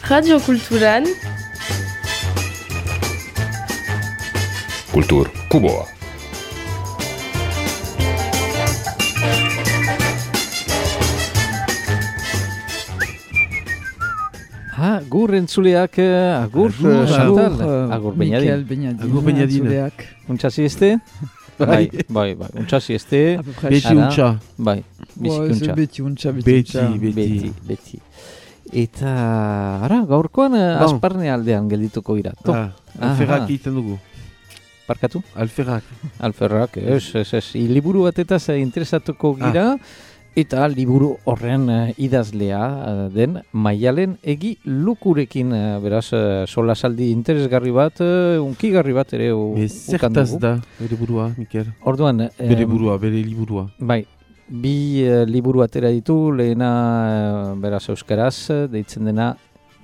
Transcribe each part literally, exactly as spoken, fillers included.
Radio Kulturan Kultur Kuboa. Agur entzuleak, agur, agur, Chantal, agur, agur Mikel Beñadin. Agur Beñadin. Untxasi este? Bai, bai, bai, untxasi este. Beti untxa. Bai, biziki untxa. Beti untxa, Beti, beti, beti. Eta, ara, gaurkoan asparne aldean geldituko gira. Ah, alferrak egiten dugu. Parkatu? Alferrak. Alferrak, ez, ez, ez. Liburu batetaz interesatuko gira. Eta liburu horren uh, idazlea uh, den Maialen Egi Lukurekin, uh, beraz, uh, solasaldi interesgarri bat, uh, unkigarri bat ere u, zertaz da, bere burua, Mikel? Orduan... Um, bere burua, bere liburua. Bai, bi uh, liburu atera ditu, lehena, uh, beraz, euskaraz, deitzen dena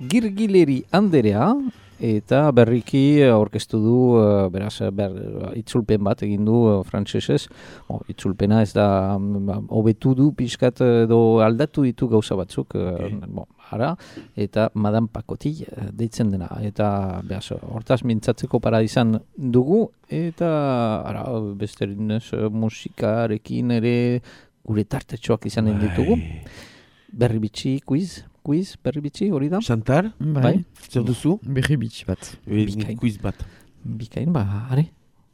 Girgileri Anderea, eta berriki aurkeztu du, uh, beraz, ber, itzulpen bat egin du uh, frantsesez. Oh, itzulpena ez da, hobetu du pixkat edo aldatu ditu gauza batzuk, okay. uh, bon, ara, eta Madame Pakoti uh, deitzen dena. Eta, beraz, hortaz mintzatzeko para izan dugu, eta, ara, besterinez uh, musikarekin ere gure tartetxoak izanen ditugu. Berri bitxi, quiz. Quiz, berri bitxi, hori da? Chantal? Bai. Zer duzu? Berri bitxi bat. Bikain. Quiz bat. Bikain, ba, are.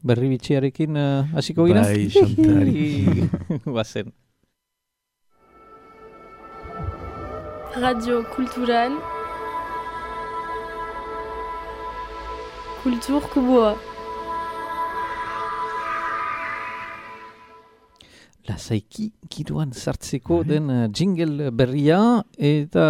Berri bitxiarekin hasiko uh, gira? Bai, Chantal. Bazen. Radio Kulturan Kultur Kuboa. Lasaiki giroan sartzeko den uh, jingle berria eta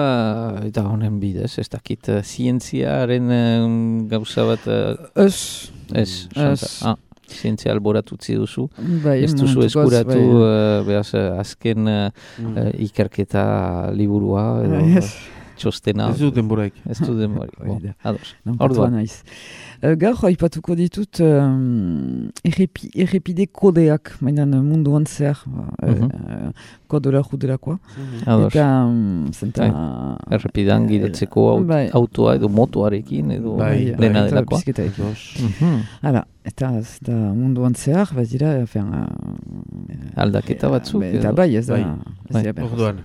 eta honen bidez, ez dakit uh, zientziaren uh, gauza bat... Uh, ez. Ez, Chantal. Ah, zientzia alboratutzi duzu. Bai, ez duzu eskuratu, bai. uh, behaz, uh, azken uh, mm. uh, ikerketa liburua, edo, yes. Txostena. Ez du denboraik. Ez du denboraik. Bon, ados. Orduan. Naiz. Uh, gaur haipatuko ditut um, errepi, errepide kodeak, mainan munduan zehar, mm-hmm. uh, kodera juderakoa. Mm-hmm. Eta, um, zenta... Bai. Errepidan gidatzeko aut, bai. autoa edo motoarekin edo bai, dena bai, delakoa. Mm-hmm. Hala, eta zeta munduan zehar, bat dira, fen, uh, aldaketa batzuk. Uh, eta bai, ez da. Bai. Orduan.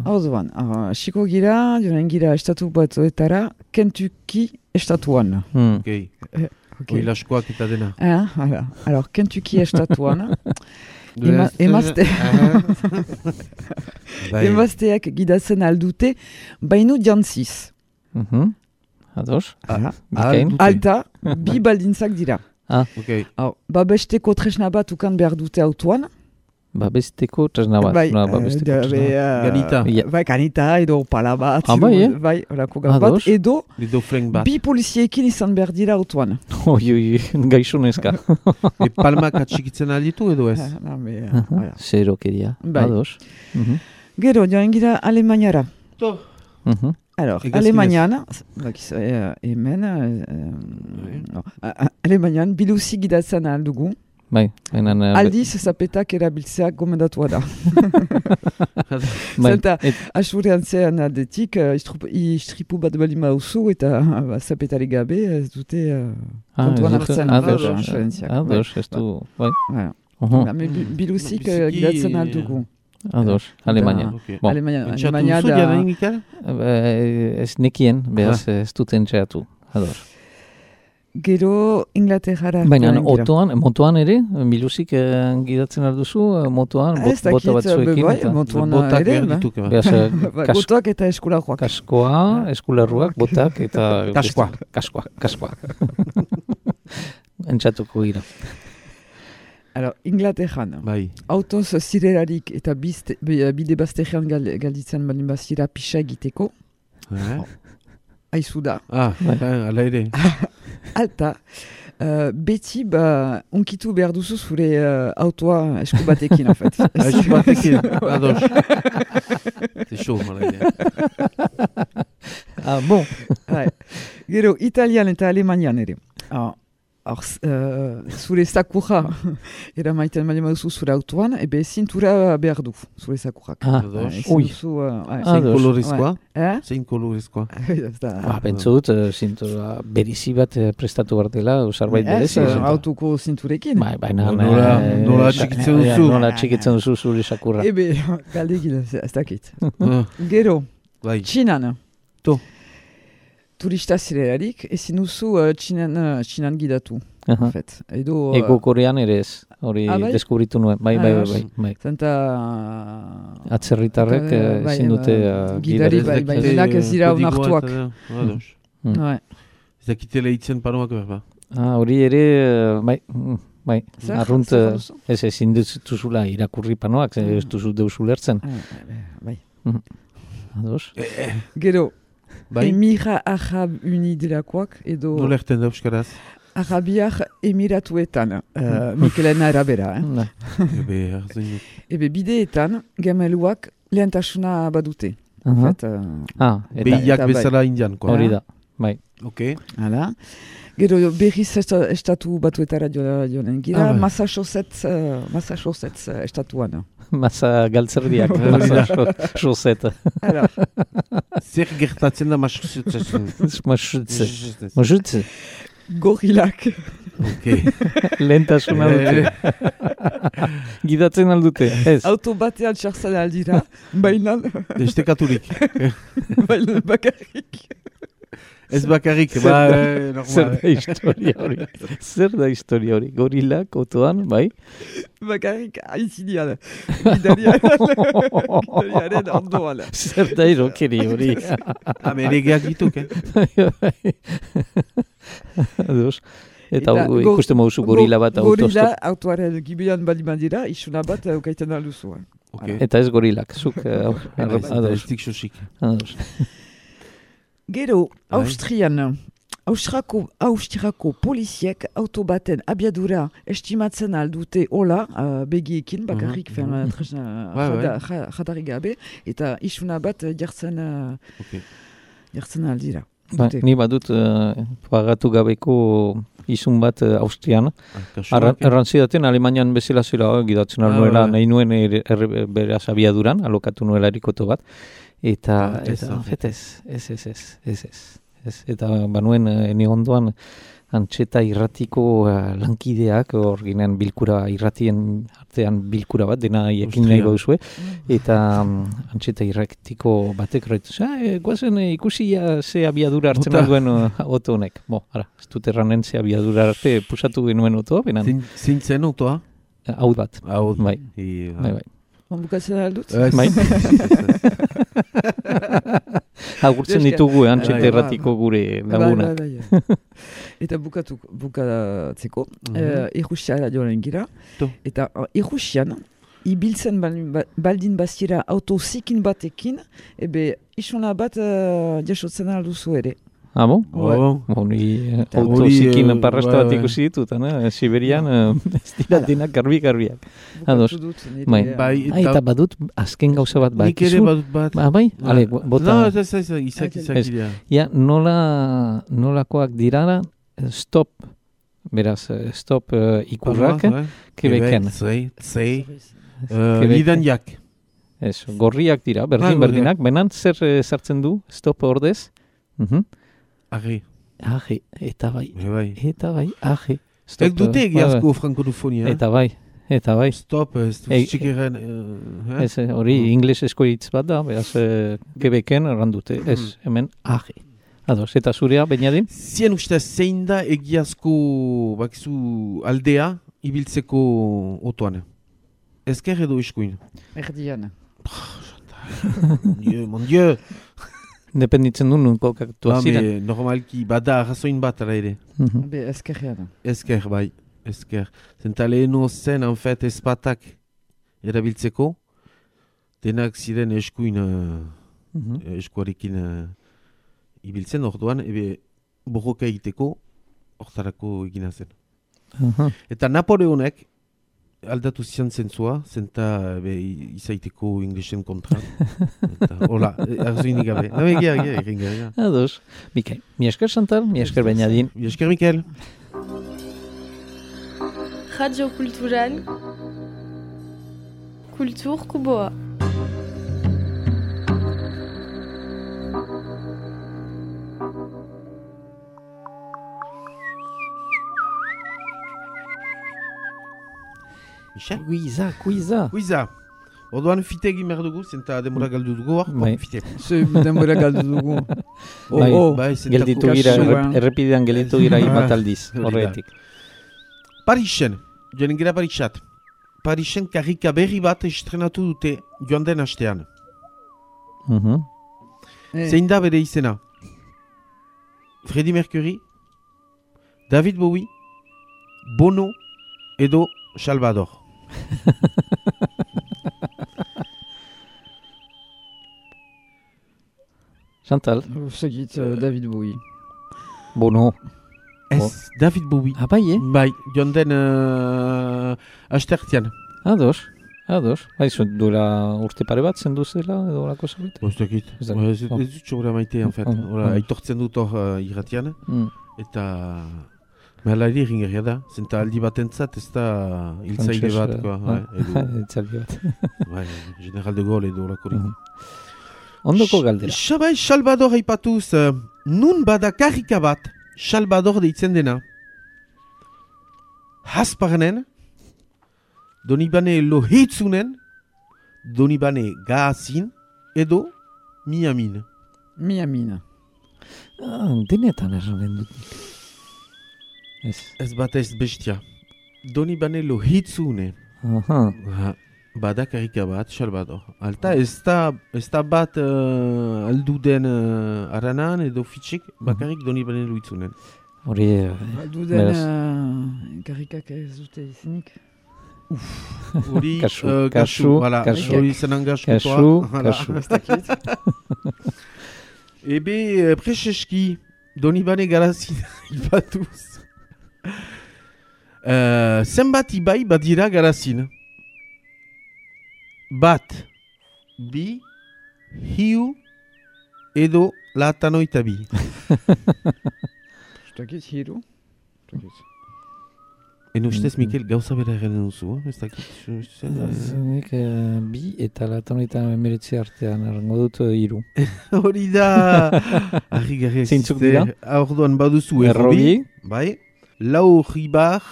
Orduan, xiko gira, joan gira estatu batzuetara, Kentucky estatuan. Hmm. Okay. Eh, okay. Oilaskoak eta dena. Ah, hala. Alors, Kentucky estatuan. Ema, emazte... emazteak gidatzen aldute, baino jantziz. Mm-hmm. Ados? Ah, alta, bi baldintzak dira. Ah. Okay. Babesteko tresna bat ukan behar dute autoan. Babesteko tresna bat. Bai, no, babesteko uh, tresna. Uh, ganita. Bai, ganita, edo pala bat. Ah, bai, eh? Bai, orako gau bat. Edo, bat. bi poliziekin izan behar dira autoan. Oi, oi, gaixonezka. E palmak atxikitzen alditu edo ez? Ah, be, uh, uh, Zerokeria. Bai. Ados. Uh-huh. Gero, joan gira Alemaniara. To. Uh-huh. Alors, Alemanian, uh, hemen, uh, no, uh, Alemanian, biluzi gidatzen aldugu. Bai, enan... Uh, Aldiz, zapetak erabiltzeak gomendatua da. Bai. Zenta, asurean zean aldetik, uh, istripu bat balima usu eta uh, zapetari gabe, ez dute uh, ah, kontuan hartzen. Ados, ados, ez du, bai. Biluzik gidatzen aldugu. Ados, Alemania. Okay. Bon. Alemania, Alemania da... Ez nekien, behaz ez duten txeatu. Ados. Gero Inglaterrara. Baina otoan, motoan ere, biluzik eh, gidatzen alduzu, motoan, bot, bota batzuekin. Bai, motoan ere. Botak eta eskularruak. Kaskoa, eskularruak, botak eta... Kaskoa. Kaskoa, kaskoa. Entxatuko gira. Alors, Inglaterran, bai. Autoz zirelarik eta bizte, bide bazterrean gal, galditzen balin bazira pixa egiteko. Eh? Aizu da. Ah, ala ere. Alta, uh, beti ba, unkitu behar duzu zure uh, autoa esku batekin, en fait. Esku batekin, ados. C'est chaud, mala idea. Ah, bon. Gero, Italian eta Alemanian ere. Ah, Or, uh, zure sakurra eramaiten bali maduzu zure autoan, ebe zintura behar du, zure sakurrak. Ah, ui. Zein kolorezkoa? Eh? Zein kolorezkoa? Ah, pentsu dut, uh, zintura berizi bat uh, prestatu behar dela, zerbait berezi. Ez, autoko zinturekin. Bai, baina... Nola, eh, nola sa- txikitzen ja, duzu? Nola txikitzen duzu zure sakurra. Ebe, galdegin, ez dakit. Ah, Gero, Bai. Txinan. To. Turista zirelarik, ezin duzu uh, Txinan, uh, Txinan gidatu. Aha. En fait. Edo, uh, Ego korean ere ez, hori Ah, bai? deskubritu nuen. Bai, Ah, bai, bai. bai, bai. Zenta... Atzerritarrek Eta, eh, bai, ezin dute ba, uh, gidari, gidari. bai, bai, denak ez dira onartuak. Ados. Mm. Ouais. Ez dakite lehitzen paroak berba. Ah, hori ere, eh, bai, mm, bai, Zer, arrunt, zer eh, duzu? ez ezin duzula irakurri panoak, ze ez duzu deus ulertzen. Ah, bai. Ados? Gero, Bai? Emira Arab Uni delakoak edo Nola erten da euskaraz? Arabiak Emiratuetan, uh, Mikelena arabera. Eh? Na, Ebe, arzain dut. Ebe bideetan, gemeluak lehentasuna badute. En aha. fait, uh, Ah, eta Behiak eta bai. bezala indian, koa. hori da, bai. Ok. hala. Gero berriz esta- estatu batuetara joan joanen gira, Ah, bai. Massachusetts, uh, Massachusetts uh, estatuan. Masa galtzerdiak, Hori masa da. so- soseta. Alors, Zer gertatzen da Massachusettsen? Masutze. Masutze. gorilak. Ok. Lehentasuna dute. Gidatzen aldute, ez. Auto batean txartzen aldira, baina Estekaturik. baina bakarrik. Ez bakarrik, ba, eh, Zer normal. da historia hori? Zer da historia hori? Gorilak, otoan, bai? Bakarrik aitzinean. Gidariaren, gidariaren ondoan. Zer da irokeri hori? Ameregeak dituk, eh? Ados. Eta, Eta u- go- ikusten moduzu gorila bat Gorila autostop. autoaren gibilan bali mandira, isuna bat eukaiten alduzu. Ok. Eta ez gorilak, zuk. eh, Ez da Ados. ez dik sosik. Ados. Gero, Bai. Austrian, Austrako, Austriako poliziek auto baten abiadura estimatzen aldute hola, uh, begiekin, bakarrik, Mhm, fen, mhm. uh, tresna, Bai, bai. jada- ja- jadarik gabe, eta isuna bat uh, jartzen, uh, Ok. jartzen aldira. Ba, Dute. ni badut uh, pagatu gabeko izun bat uh, Austrian. Ah, kasuak, Arra- eh? Errantzidaten Alemanian bezala zela gidatzen Ah, nuela, bai, bai. nahi nuen er, er, beraz abiaduran, alokatu nuela erikoto bat. Eta, Ah, ez, eta ah. fet ez, ez, ez, ez, ez, ez. Ez, eta banuen eh, ene ondoan antxeta irratiko uh, lankideak, hor ginen bilkura irratien artean bilkura bat, dena ekin nahi Austria. gauzue, eta um, antxeta irratiko batek raitu, e, guazen e, ikusi ja, ze abiadura hartzen Bota. duen uh, oto honek. Bo, ara, ez dut erranen ze abiadura arte pusatu genuen otoa, benan, Zein- Zein zen autoa? hau bat, Hau. bai, I, bai, bai. Bukatzen aldut? Ez. Bai. Ez, ez, Agurtzen Eske- ditugu, eh, antxeta Bai, irratiko gure lagunak. Bai, bai, bai. Eta bukatu, bukatzeko, Mhm. uh, Errusiara joan gira, To. eta uh, Errusian, ibiltzen baldin ba- baldin bazira auto zikin batekin, ebe isuna bat uh, jasotzen alduzu ere. Ah, bon? Oh. Bo, ni eh, Eta auto hori, zikin eh, parrasta bai, bat bai. ikusi ditut, eh, Siberian, eh, ez dira Hala. denak garbi-garbiak. Ados. Bukatu dut, nire, Bai. uh, Bai, Ah, eta badut, azken gauza bat, Nik ere bakizu? badut bat. Ba, bai? Ale, Ah, bota. No, ez, ez, ez, izak, Ez. izak dira. Ja, nola, nolakoak dirara, eh, stop, beraz, eh, stop eh, ikurrak, Bai. Quebecen. Zei, zei, Quebec. lidan jak. Ez, gorriak dira, Ah, berdin gorriak. berdinak, benan zer eh, sartzen du, stop ordez? Mhm. Arri, Aje, eta bai, bai. eta bai, aje. Stop, Ez dute eh, egiazko frankodufonia. Eta bai, eta bai. Stop, ez Ei, txikeren... eh, Ez, eh, hori Mm. inglesezko hitz bat da, beraz, eh, Quebecen errandute, ez, Mm. hemen, aje. Ados, eta zurea, Beñadin? Zien ustez zein da egiazko bakizu aldea ibiltzeko otoan. Ezker edo eskuin. Erdian. Mon dieu, mon dieu. Dependitzen du nun kokatu Ba, ziren. me, normalki bada arrazoin bat ala ere. Mhm. Be, ezkerrean. Ezker, bai, ezker. Zenta leheno zen, en fait, ezpatak erabiltzeko, denak ziren eskuin, uh, Mhm. eskuarekin uh, ibiltzen orduan, ebe borroka egiteko, hortarako egina zen. Aha. Eta Napoleonek aldatu zian zentzua, zenta be, i- izaiteko inglesen kontra. Eta, hola, arzuinik gabe. No, egia, egia, egia, egia. Ados. Bikain. Mi esker Santal, mi esker Beñadin. Mi esker, Mikel. Radio Kulturan Kultur Kuboa. Michel? Kuiza, kuiza. Kuiza. Orduan fite egin behar dugu, zenta demora galdu dugu hor, Bai. fite. Ze denbora galdu dugu. Oh, Bai. oh. Bai, zenta Gelditu ko- gira, kasua. errep- errepidean gelditu gira bat aldiz, Hori da. horretik. Parisen, joan gira Parisat. Parisen karrika berri bat estrenatu dute joan den astean. Mhm. Eh, Zein da bere izena? Freddie Mercury, David Bowie, Bono edo Salvador. Chantal, Zegit uh, David Bowie. Bono. Ez, David Bowie. Ah, bai, eh? Bai, joan den uh, astertian. Ados, ados. Bai, zuen duela urte pare bat zendu zela edo olako zerbait? Ez dakit. Ez dakit. Ez ez dut txobra maite, en fait. Mm, Ora, mm. aitortzen dut hor uh, irratian. Mm. Eta... Mehala ere eringerria da. Zenta aldi batentzat ez da hiltzaile Frantses, bat. eh, Koa, ah. bai, edo, Itzaldi bat. bai, General de Gaulle edo olakorik. Mhm. Ondoko galdera. Sabai, Salvador aipatuz, uh, nun bada karrika bat, Salvador deitzen dena. Hasparnen, Donibane Lohitzunen, Donibane Gazin, edo Miamin. Miamina. Ah, denetan erranen dut. Ez. Ez bat ez bestia. Donibane Lohitzune. Aha. Ha, bada karrika bat, Salvador. Alta, ez da, ez da bat uh, aldu den uh, aranan edo fitxik, bakarrik Donibane Lohitzunen. Hori, eh, Aldu den beraz. uh, karrikak ez dute izenik. Hori, Kasu, uh, kasu, kasu, voilà, kasu. hori zenan gaskotoa. Kasu, Voilà. kasu. Ebe, uh, preseski, Donibane Garazin ipatuz. Uh, zenbat ibai badira Garazin? Bat, bi, hiu, edo latanoita bi. Zdakit hiru? En ustez, Mhm. Mikel, gauza bera egiten duzu, eh? Ez dakit, zu- zu- Nik eh, bi eta latonetan emeretzi artean errango dut eh, hiru. Hori da, argi garri Zeintzuk existe. dira? Orduan baduzu errobi, Errobi. bai, lau ribar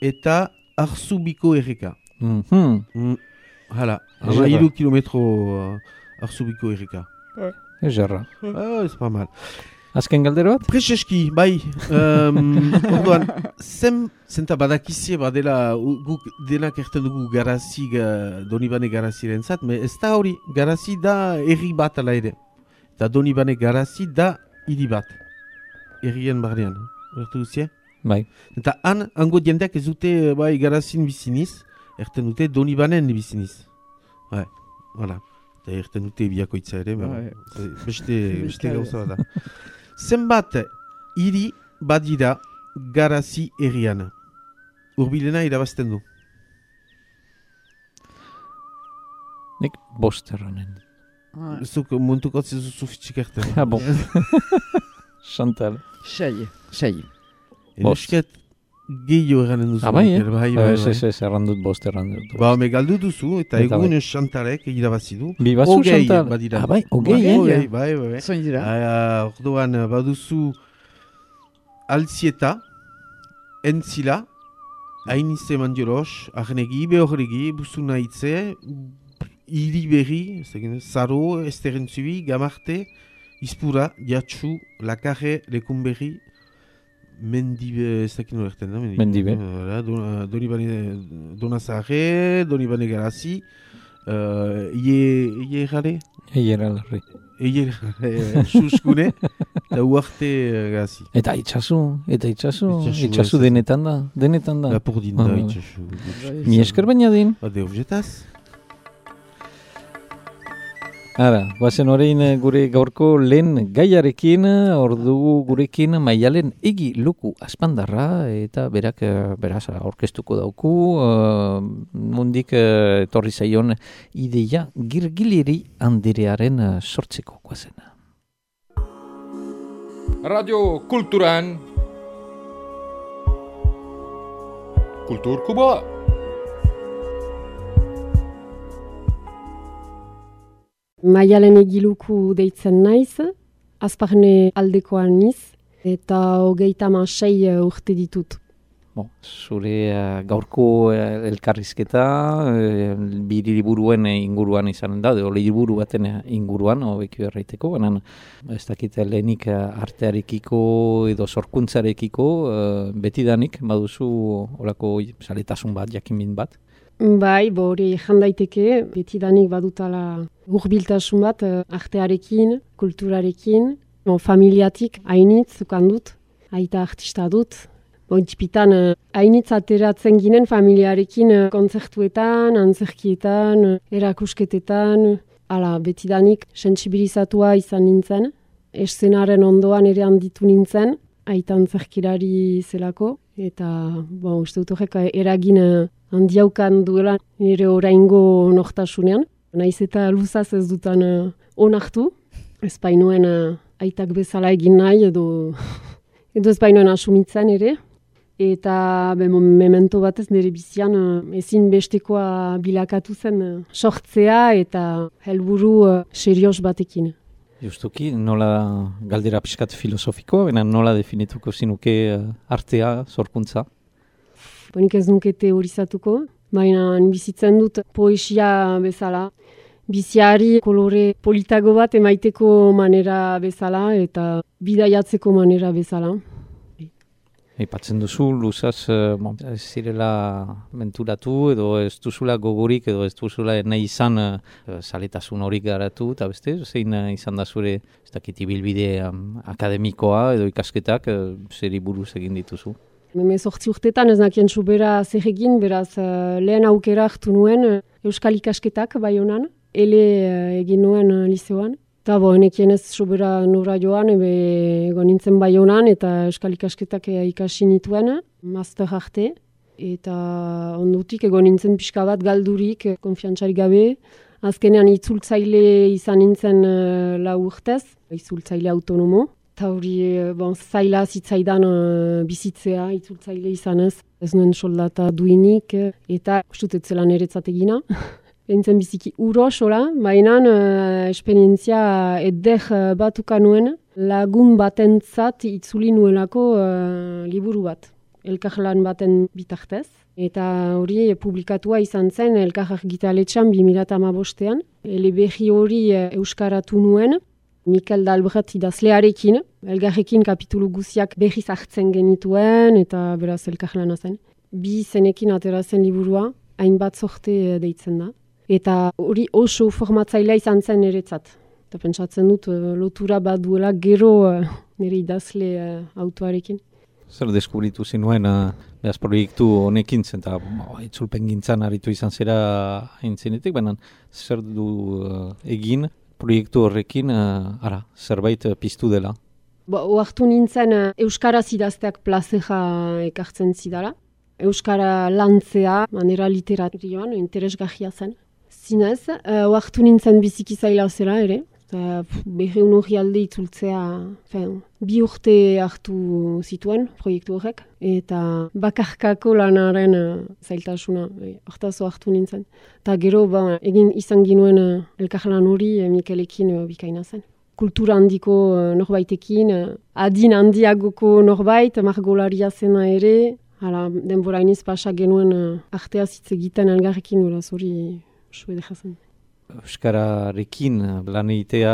eta arzubiko erreka. Mhm. Mm, hala, Ederra. ama hiru kilometro uh, arzubiko erreka. Ezerra. Ah, ez pa mal. Azken galdera bat? Preseski, bai, um, orduan, zen, zenta badakizie badela, u- guk denak erten dugu garazi, ga, Donibane garaziren zat, me ez da hori, garazi da erri bat ala ere. Eta Donibane garazi da hiri bat, errien barnean, ertu duzie? Bai. Eta han, hango jendeak ez dute, bai, garazin biziniz, erten dute Donibanen biziniz. Bai, voilà. Eta erten dute biakoitza ere, Bai. bai. beste, beste Beste- gauza bat da. Zenbat hiri badira garazi herrian. Urbilena irabazten du. Nik bost erranen. Ah, Zuk muntuko zezu fitxik erten. Ah, bon. Chantal. sei. Sei. Bost. Eusket gehiago eranen duzu. Ah, bai, eh? Mikel, bai, bai, Ez, bai. ez, ez, erran dut bost, erran dut. Ba, me galdu duzu, eta Eta egun bai. Chantalek irabazi du. Bi bazu, Hogei Chantal? badira. Ah, bai, hogei, Hogei, eh? Hogei, bai, bai, bai. Zoin dira? Ah, orduan, baduzu Altzieta, Entzila, Ainize Mandioros, Arnegi, Behorregi, Buzuna Itze, Iri Berri, ez dakit, Zaro, Esterentzubi, Gamarte, Izpura, Jatsu, Lakarre, Lekunberri, Mendibe, ez dakit nola erten da? Mendibe. Voilà, Don- Donibane, Donazarre, Donibane Garazi, uh, Ie, Ie Errale, Eiera larri. Ie Errale, Suskune, eta Uarte uh, Garazi. Eta itxasu, eta itxasu, Itxasu, itxasu ez, ez. denetan da, denetan da. Lapurdin Ah, da, bai. itxasu. Mi esker baina din. Ade objetaz. Ara, guazen orain eh, gure gaurko lehen gaiarekin, eh, ordu gurekin Maialen Egi Luku Aspandarra, eta berak, eh, beraz, aurkeztuko dauku, uh, mundik eh, etorri zaion ideia girgiliri anderearen eh, sortzeko guazena. Radio Kulturan Kultur Kuboa! Maialen Egiluku deitzen naiz, Azparne aldekoan niz, eta hogeita hamasei urte ditut. Bon, zure uh, gaurko uh, elkarrizketa uh, bi liburuen inguruan izan da, edo liburu baten inguruan, hobeki erraiteko, baina ez dakit lehenik uh, artearekiko edo sorkuntzarekiko uh, betidanik baduzu horako zaletasun bat, jakinmin bat. Bai, bo hori jan daiteke, betidanik badutala hurbiltasun bat uh, artearekin, kulturarekin, bon, familiatik hainitz zukan dut, aita artista dut. Bontxipitan, hainitz ateratzen ginen familiarekin kontzertuetan, antzerkietan, erakusketetan, ala betidanik sentsibilizatua izan nintzen. Eszenaren ondoan ere handitu nintzen, aita antzerkirari zelako, eta bon, uste dut horrek eragin handiaukan duela nire oraingo nortasunean. Naiz eta luzaz ez dutan onartu, ez bainoen aitak bezala egin nahi edo, edo ez bainoen asumitzen ere. Eta be, memento batez nire bizian ezin bestekoa bilakatu zen sortzea eta helburu serioz batekin. Justuki, nola galdera pixkat filosofikoa, baina nola definituko zinuke artea, sorkuntza? Bonik ez nuke teorizatuko, baina bizitzen dut poesia bezala. Biziari kolore politago bat emaiteko manera bezala eta bidaiatzeko manera bezala. Aipatzen duzu, luzaz, bon, ez zirela menturatu edo ez duzula gogorik edo ez duzula nahi izan uh, zaletasun horik garatu, eta beste, zein uh, izan da zure ez dakit ibilbide um, akademikoa edo ikasketak uh, zeri buruz egin dituzu? Heme zortzi urtetan ez nakien sobera zer egin, beraz uh, lehen aukera hartu nuen uh, Euskal ikasketak Baionan, ele uh, egin nuen uh, liceoan. Eta bo, nekien ez sobera nora joan, ebe egon nintzen Baionan eta Euskal ikasketak ikasi nituen, master arte. Eta ondutik egon nintzen pixka bat galdurik, konfiantzarik gabe. Azkenean itzultzaile izan nintzen uh, lau urtez, itzultzaile autonomo. Eta hori bon, zaila zitzaidan uh, bizitzea, itzultzaile izanez. Ez nuen soldata duinik eta ustutetzela niretzat egina. Beintzen biziki urosola, baina uh, esperientzia eder uh, batuka nuen lagun batentzat itzuli nuelako uh, liburu bat, elkarlan baten bitartez. Eta hori publikatua izan zen elkar argitaletxean bi mila hamabostean. Eleberri hori uh, euskaratu nuen, Mikel Dalbret idazlearekin, elgarrekin kapitulu guziak berriz hartzen genituen eta beraz elkarlana zen. Bi zenekin atera zen liburua, hainbat sorte deitzen da. Eta hori oso formatzailea izan zen niretzat. Eta pentsatzen dut lotura bat duela gero nire idazle autoarekin. Zer deskubritu zinuen uh, behaz proiektu honekin zen, eta oh, itzulpen gintzan aritu izan zera haintzenetik, baina zer du uh, egin proiektu horrekin uh, ara, zerbait uh, piztu dela? Ba, oartu nintzen uh, Euskaraz idazteak plazera ekartzen zidala. Euskara lantzea, manera literaturioan, interesgarria zen. Zinez, uh, oartu nintzen biziki zaila zela ere. Eta berreun hori alde itzultzea, fen, bi urte hartu zituen proiektu horrek. Eta bakarkako lanaren uh, zailtasuna, hortaz oartu nintzen. Eta gero, ba, egin izan ginuen uh, elkarlan hori uh, Mikelekin uh, bikaina zen. Kultura handiko uh, norbaitekin, uh, adin handiagoko norbait, margolaria zena ere. Hala, denbora iniz pasa genuen uh, artea zitz egiten elgarrekin, horaz hori oso edera zen. Euskararekin lan egitea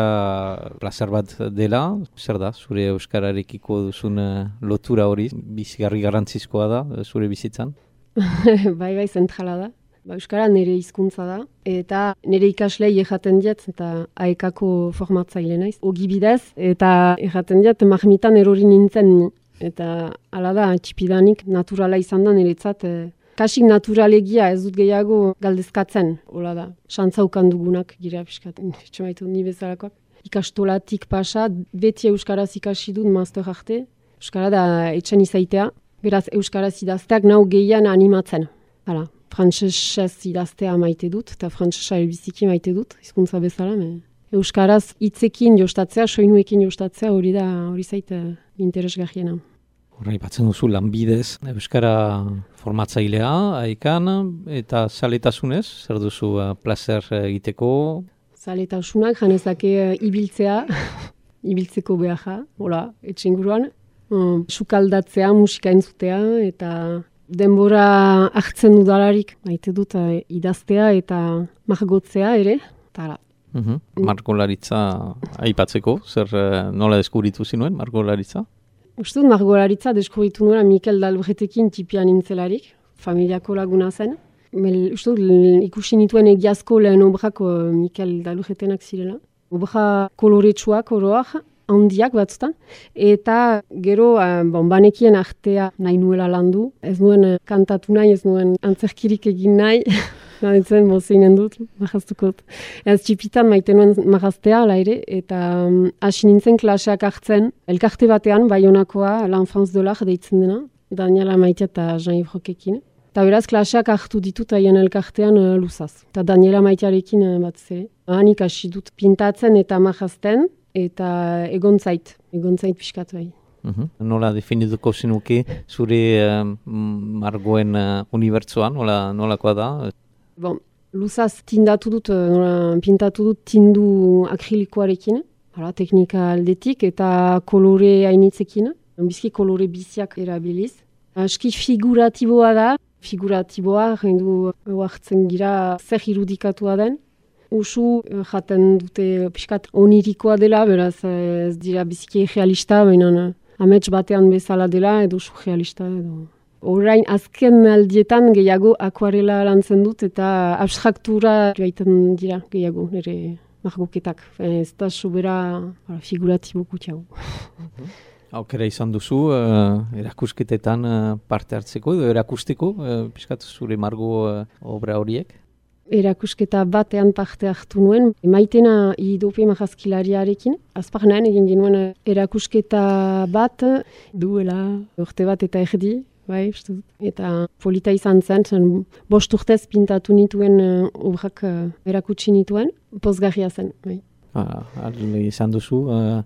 plazer bat dela, zer da, zure euskararekiko duzun lotura hori, bizigarri garrantzizkoa da, zure bizitzan? bai, bai, zentrala da. Ba, euskara nire hizkuntza da, eta nire ikaslei erraten diet, eta aekako formatzaile naiz, ogi bidez, eta erraten diet, marmitan erori nintzen, eta hala da, txipidanik naturala izan da niretzat, e, kasik naturalegia ez dut gehiago galdezkatzen, hola da, xantzaukan dugunak gira piskat, etxemaitu ni bezalakoak. Ikastolatik pasa, beti euskaraz ikasi dut master arte, euskara da etxen izaitea, beraz euskaraz idazteak nau gehian animatzen. Hala, frantsesez idaztea maite dut, eta frantsesa elbiziki maite dut, hizkuntza bezala, me. Euskaraz hitzekin jostatzea, soinuekin jostatzea hori da, hori zait interesgarriena. Horra, ipatzen duzu lanbidez, Euskara formatzailea, haikan, eta zaletasunez, zer duzu uh, placer egiteko? Zaletasunak, janezake uh, ibiltzea, ibiltzeko beharra, hola, etxinguruan. Um, sukaldatzea, musika entzutea, eta denbora hartzen dudalarik, maite dut uh, idaztea eta margotzea ere, eta hala. Uhum. Margolaritza aipatzeko, zer uh, nola deskubritu zinuen, margolaritza? Uste dut margolaritza deskubritu nuen Mikel Dalbretekin tipian nintzelarik, familiako laguna zen. Mel, uste dut ikusi nituen egiazko lehen obrako Mikel Dalbretenak zirela. Obra koloretsuak oroak, handiak batzutan, eta gero uh, bon, banekien artea nahi nuela landu. Ez nuen uh, kantatu nahi, ez nuen antzerkirik egin nahi. Gaitzen mozeinen dut, marraztukot. Ez txipitan maite nuen marraztea, ala ere, eta hasi um, nintzen klaseak hartzen, elkarte batean, Baionakoa, l'Enfance de l'Art deitzen dena, Daniela Maitea eta Jean-Yves Roquekin. Eta beraz, klaseak hartu ditut haien elkartean uh, luzaz. Eta Daniela Maitearekin uh, bat zere. Hanik hasi dut pintatzen eta marrazten, eta egontzait, egontzait pixkat bai. Uhum. Nola definituko zinuke zure uh, margoen uh, unibertsoan, nola, nolakoa da? Bon, luzaz tindatu dut, nola, pintatu dut tindu akrilikoarekin, hala, teknika aldetik, eta kolore hainitzekin, bizki kolore biziak erabiliz. Aski figuratiboa da, figuratiboa, jendu hartzen gira zer irudikatua den. Usu jaten dute pixkat onirikoa dela, beraz ez dira biziki realista, baina amets batean bezala dela, edo usu realista edo... Orain azken aldietan gehiago akuarela lantzen dut eta abstraktura gaiten dira gehiago nire margoketak. Ez da sobera figuratibo kutxago. Aukera izan duzu, uh, erakusketetan uh, parte hartzeko edo erakusteko, uh, pixkat zure margo uh, obra horiek? Erakusketa batean parte hartu nuen, Maitena Idope marrazkilariarekin. Azparnean egin genuen erakusketa bat duela urte bat eta erdi. Bai, eta polita izan zen, zen bost urtez pintatu nituen uh, obrak uh, erakutsi nituen, pozgarria zen. Bai. Ah, izan duzu, uh,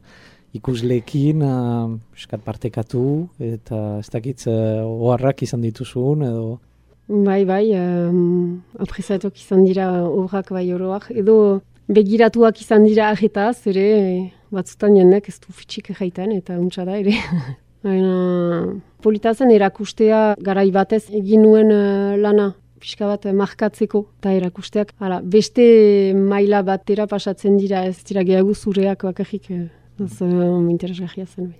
ikusleekin uh, eskat partekatu eta ez dakitz uh, oharrak izan dituzun edo... Bai, bai, um, apresatuak izan dira obrak bai oroak, edo begiratuak izan dira ahetaz, ere batzutan jendek ez du fitxik jaiten eta untsa da ere. Baina, politazen erakustea garai batez egin nuen uh, lana, pixka bat markatzeko, eta erakusteak, hala, beste maila batera pasatzen dira, ez dira gehiago zureak bakarrik, ez uh, interesgarria zen.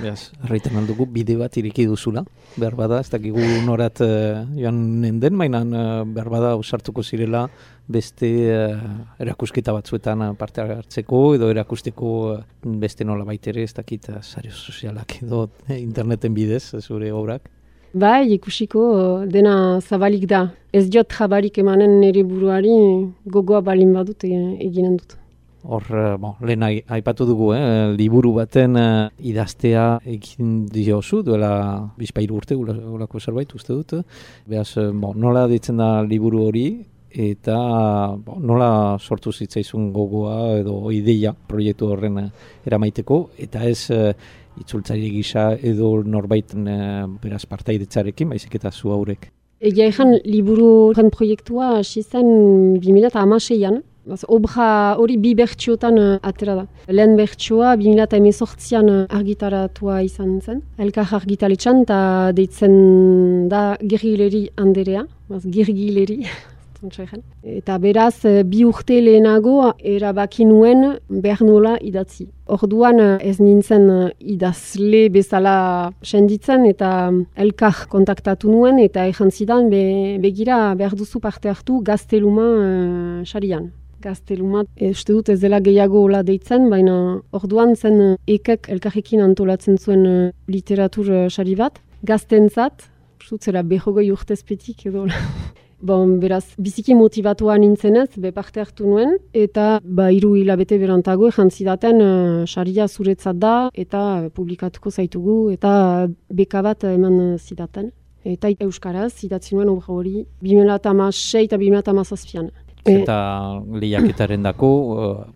Beaz, arreiten aldugu, bide bat ireki duzula, behar bada, ez dakigu norat uh, joan nenden, mainan uh, behar bada usartuko zirela beste uh, erakusketa batzuetan uh, parte hartzeko, edo erakusteko uh, beste nola baitere, ez dakit uh, sario sozialak edo eh, interneten bidez, zure obrak. Bai, ikusiko dena zabalik da. Ez diot jabarik emanen nire buruari gogoa balin badut eginen dut. Hor, bon, lehen aipatu dugu, eh, liburu baten uh, idaztea egin diozu, duela bizpairu urte, ulako zerbait uste dut. Beaz, bon, nola ditzen da liburu hori, eta bon, nola sortu zitzaizun gogoa edo ideia proiektu horren uh, eramaiteko, eta ez uh, itzultzaile gisa edo norbaiten uh, beraz partaidetzarekin, baizik eta zu haurek. Egia ezan, liburu horren proiektua hasi zen bi mila hamaseian. Obra hori bi bertsiotan uh, atera da. Lehen bertsioa bi mila hemezortzian uh, argitaratua izan zen. Elkar argitaletxan eta deitzen da Girgileri Anderea. Girgileri. Eta beraz, bi urte lehenago erabaki nuen behar nola idatzi. Orduan ez nintzen idazle bezala senditzen eta elkar kontaktatu nuen eta ezan zidan be, begira behar duzu parte hartu gazteluma uh, xarian. Gazteluma, uste dut ez dela gehiago hola deitzen, baina orduan zen ekek elkarrekin antolatzen zuen uh, literatur xari uh, bat. Gaztentzat, uste dut zera behogoi urtezpetik edo. Bon, beraz, biziki motivatua nintzenez, be parte hartu nuen, eta ba, hiru hilabete berantago jantzidaten saria uh, zuretzat da, eta publikatuko zaitugu, eta beka bat eman zidaten. Eta euskaraz, idatzi nuen obra hori, bi mila hamasei eta bi mila hamazazpian. Eta lehiaketaren dako,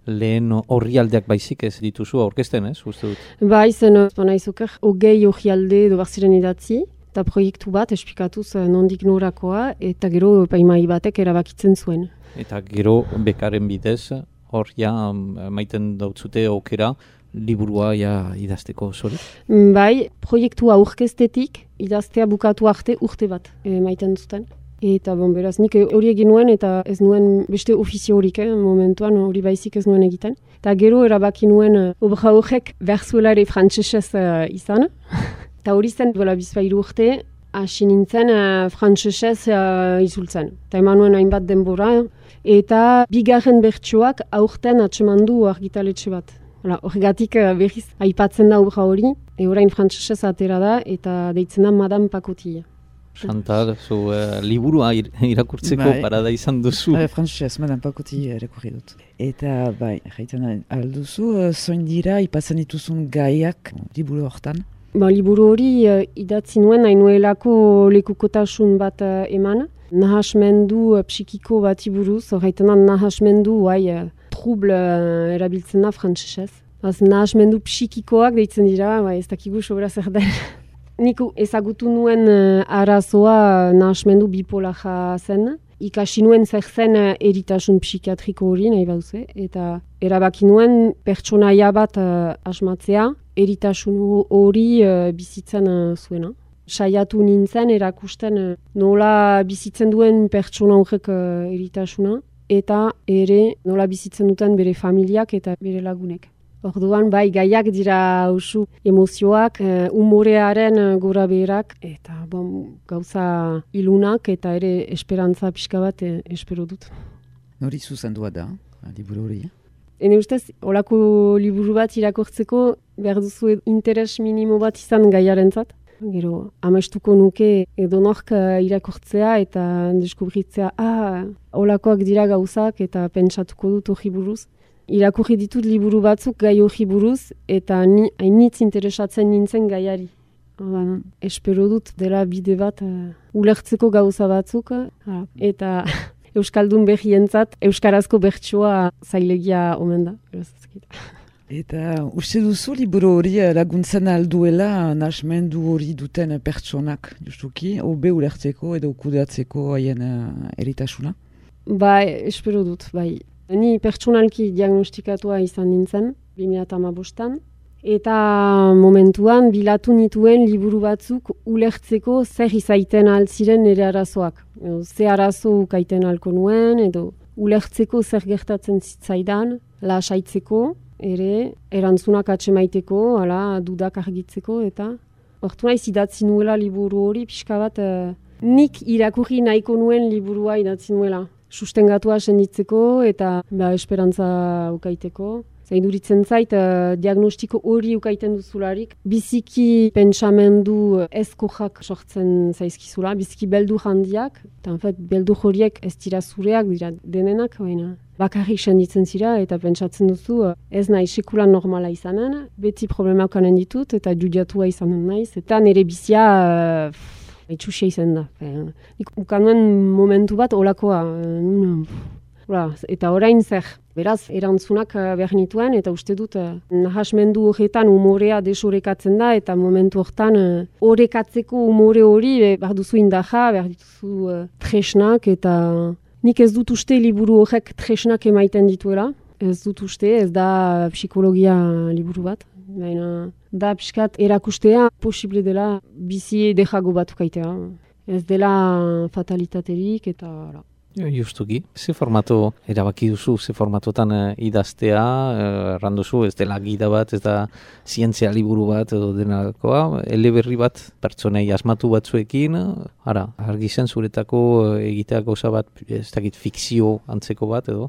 lehen orrialdeak baizik ez dituzu aurkezten, ez, uste dut? Ba, izen, banaizuker, hogei orrialde edo barziren idatzi, eta proiektu bat esplikatuz nondik norakoa, eta gero epaimai batek erabakitzen zuen. Eta gero bekaren bidez, hor ja maiten dautzute aukera, liburua ja idazteko, zori? Bai, proiektua aurkeztetik, idaztea bukatu arte urte bat maiten zuten. Eta bon, beraz, nik hori egin nuen eta ez nuen beste ofizio horik, eh, momentuan hori baizik ez nuen egiten. Eta gero erabaki nuen uh, obra horrek berzuela ere frantsesez uh, izan. Eta hori zen duela bizpairu urte, hasi nintzen uh, frantsesez uh, izultzen. Eta eman nuen hainbat denbora. Eta bigarren bertsoak aurten atsemandu argitaletxe bat. Horregatik uh, berriz aipatzen da obra hori, e orain frantsesez atera da eta deitzen da Madame Pacotilla. Chantal, zu uh, liburua ir, irakurtzeko bai. Parada izan duzu. Bai, frantsesez, Madame Pacotilla irakurri dut. Eta bai, jaiten alduzu, uh, zoin dira ipatzen dituzun gaiak liburu hortan? Ba, liburu hori uh, idatzi nuen, nahi nuelako lekukotasun bat uh, eman. Nahasmendu uh, psikiko bat iburuz, horreiten da nahasmendu hai, uh, trouble uh, erabiltzen da frantsesez. Az nahasmendu psikikoak deitzen dira, ba, ez dakigu sobera zer den. Nik ezagutu nuen uh, arazoa nahasmendu bipolaja zen. Ikasi nuen zer zen uh, eritasun psikiatriko hori, nahi bauze. Eta erabaki nuen pertsonaia bat uh, asmatzea, eritasun hori uh, bizitzen uh, zuena. Saiatu nintzen erakusten uh, nola bizitzen duen pertsona horrek uh, eritasuna, eta ere nola bizitzen duten bere familiak eta bere lagunek. Orduan, bai, gaiak dira usu emozioak, uh, umorearen uh, gora beherak, eta bon, gauza ilunak eta ere esperantza pixka bat eh, espero dut. Nori zuzendua da, liburu hori? Ene ustez, olako liburu bat irakortzeko behar duzu interes minimo bat izan gaiarentzat. Gero, amestuko nuke edonork uh, irakortzea eta deskubritzea, ah, olakoak dira gauzak eta pentsatuko dut hori buruz. Irakurri ditut liburu batzuk gai hori buruz eta ni hainitz interesatzen nintzen gaiari. Oda, espero dut dela bide bat uh, ulertzeko gauza batzuk uh, eta euskaldun behientzat euskarazko bertsoa zailegia omen da. Eta uste duzu liburu hori laguntzen alduela nahasmendu hori duten pertsonak, justuki, hobe ulertzeko edo kudeatzeko haien uh, eritasuna? Bai, espero dut, bai. Ni pertsonalki diagnostikatua izan nintzen, bi mila hamabostan, eta momentuan bilatu nituen liburu batzuk ulertzeko zer izaiten altziren nire arazoak. Edo, ze arazo ukaiten alko nuen, edo ulertzeko zer gertatzen zitzaidan, lasaitzeko, ere erantzunak atsemaiteko, ala, dudak argitzeko, eta hortu naiz idatzi nuela liburu hori, pixka bat eh, nik irakurri nahiko nuen liburua idatzi nuela. Sustengatua senditzeko eta ba, esperantza ukaiteko. Zaiduritzen zait, uh, diagnostiko hori ukaiten duzularik, biziki pentsamendu ezkojak sortzen zaizkizula, biziki beldur handiak, eta en fait, beldur horiek ez dira zureak, dira denenak, baina bakarrik senditzen zira eta pentsatzen duzu ez nahi sekulan normala izanen, beti problemak kanen ditut eta judiatua izanen naiz, eta nire bizia uh, itxusia izan da. Nik ukanuen momentu bat olakoa. Eta orain zer, beraz, erantzunak behar nituen, eta uste dut nahasmendu horretan umorea desorekatzen da, eta momentu horretan horrekatzeko umore hori behar duzu indaja, behar dituzu tresnak, eta nik ez dut uste liburu horrek tresnak emaiten dituela. Ez dut uste, ez da psikologia liburu bat. Baina da pixkat erakustea posible dela bizi dejago batukaitea. Ez dela fatalitaterik eta... Justuki, ze formato erabaki duzu, ze formatotan uh, idaztea, uh, erranduzu, ez dela gida bat, ez da zientzia liburu bat edo denakoa, eleberri bat pertsonei asmatu batzuekin, ara, argi zen zuretako uh, egitea gauza bat, ez dakit fikzio antzeko bat edo?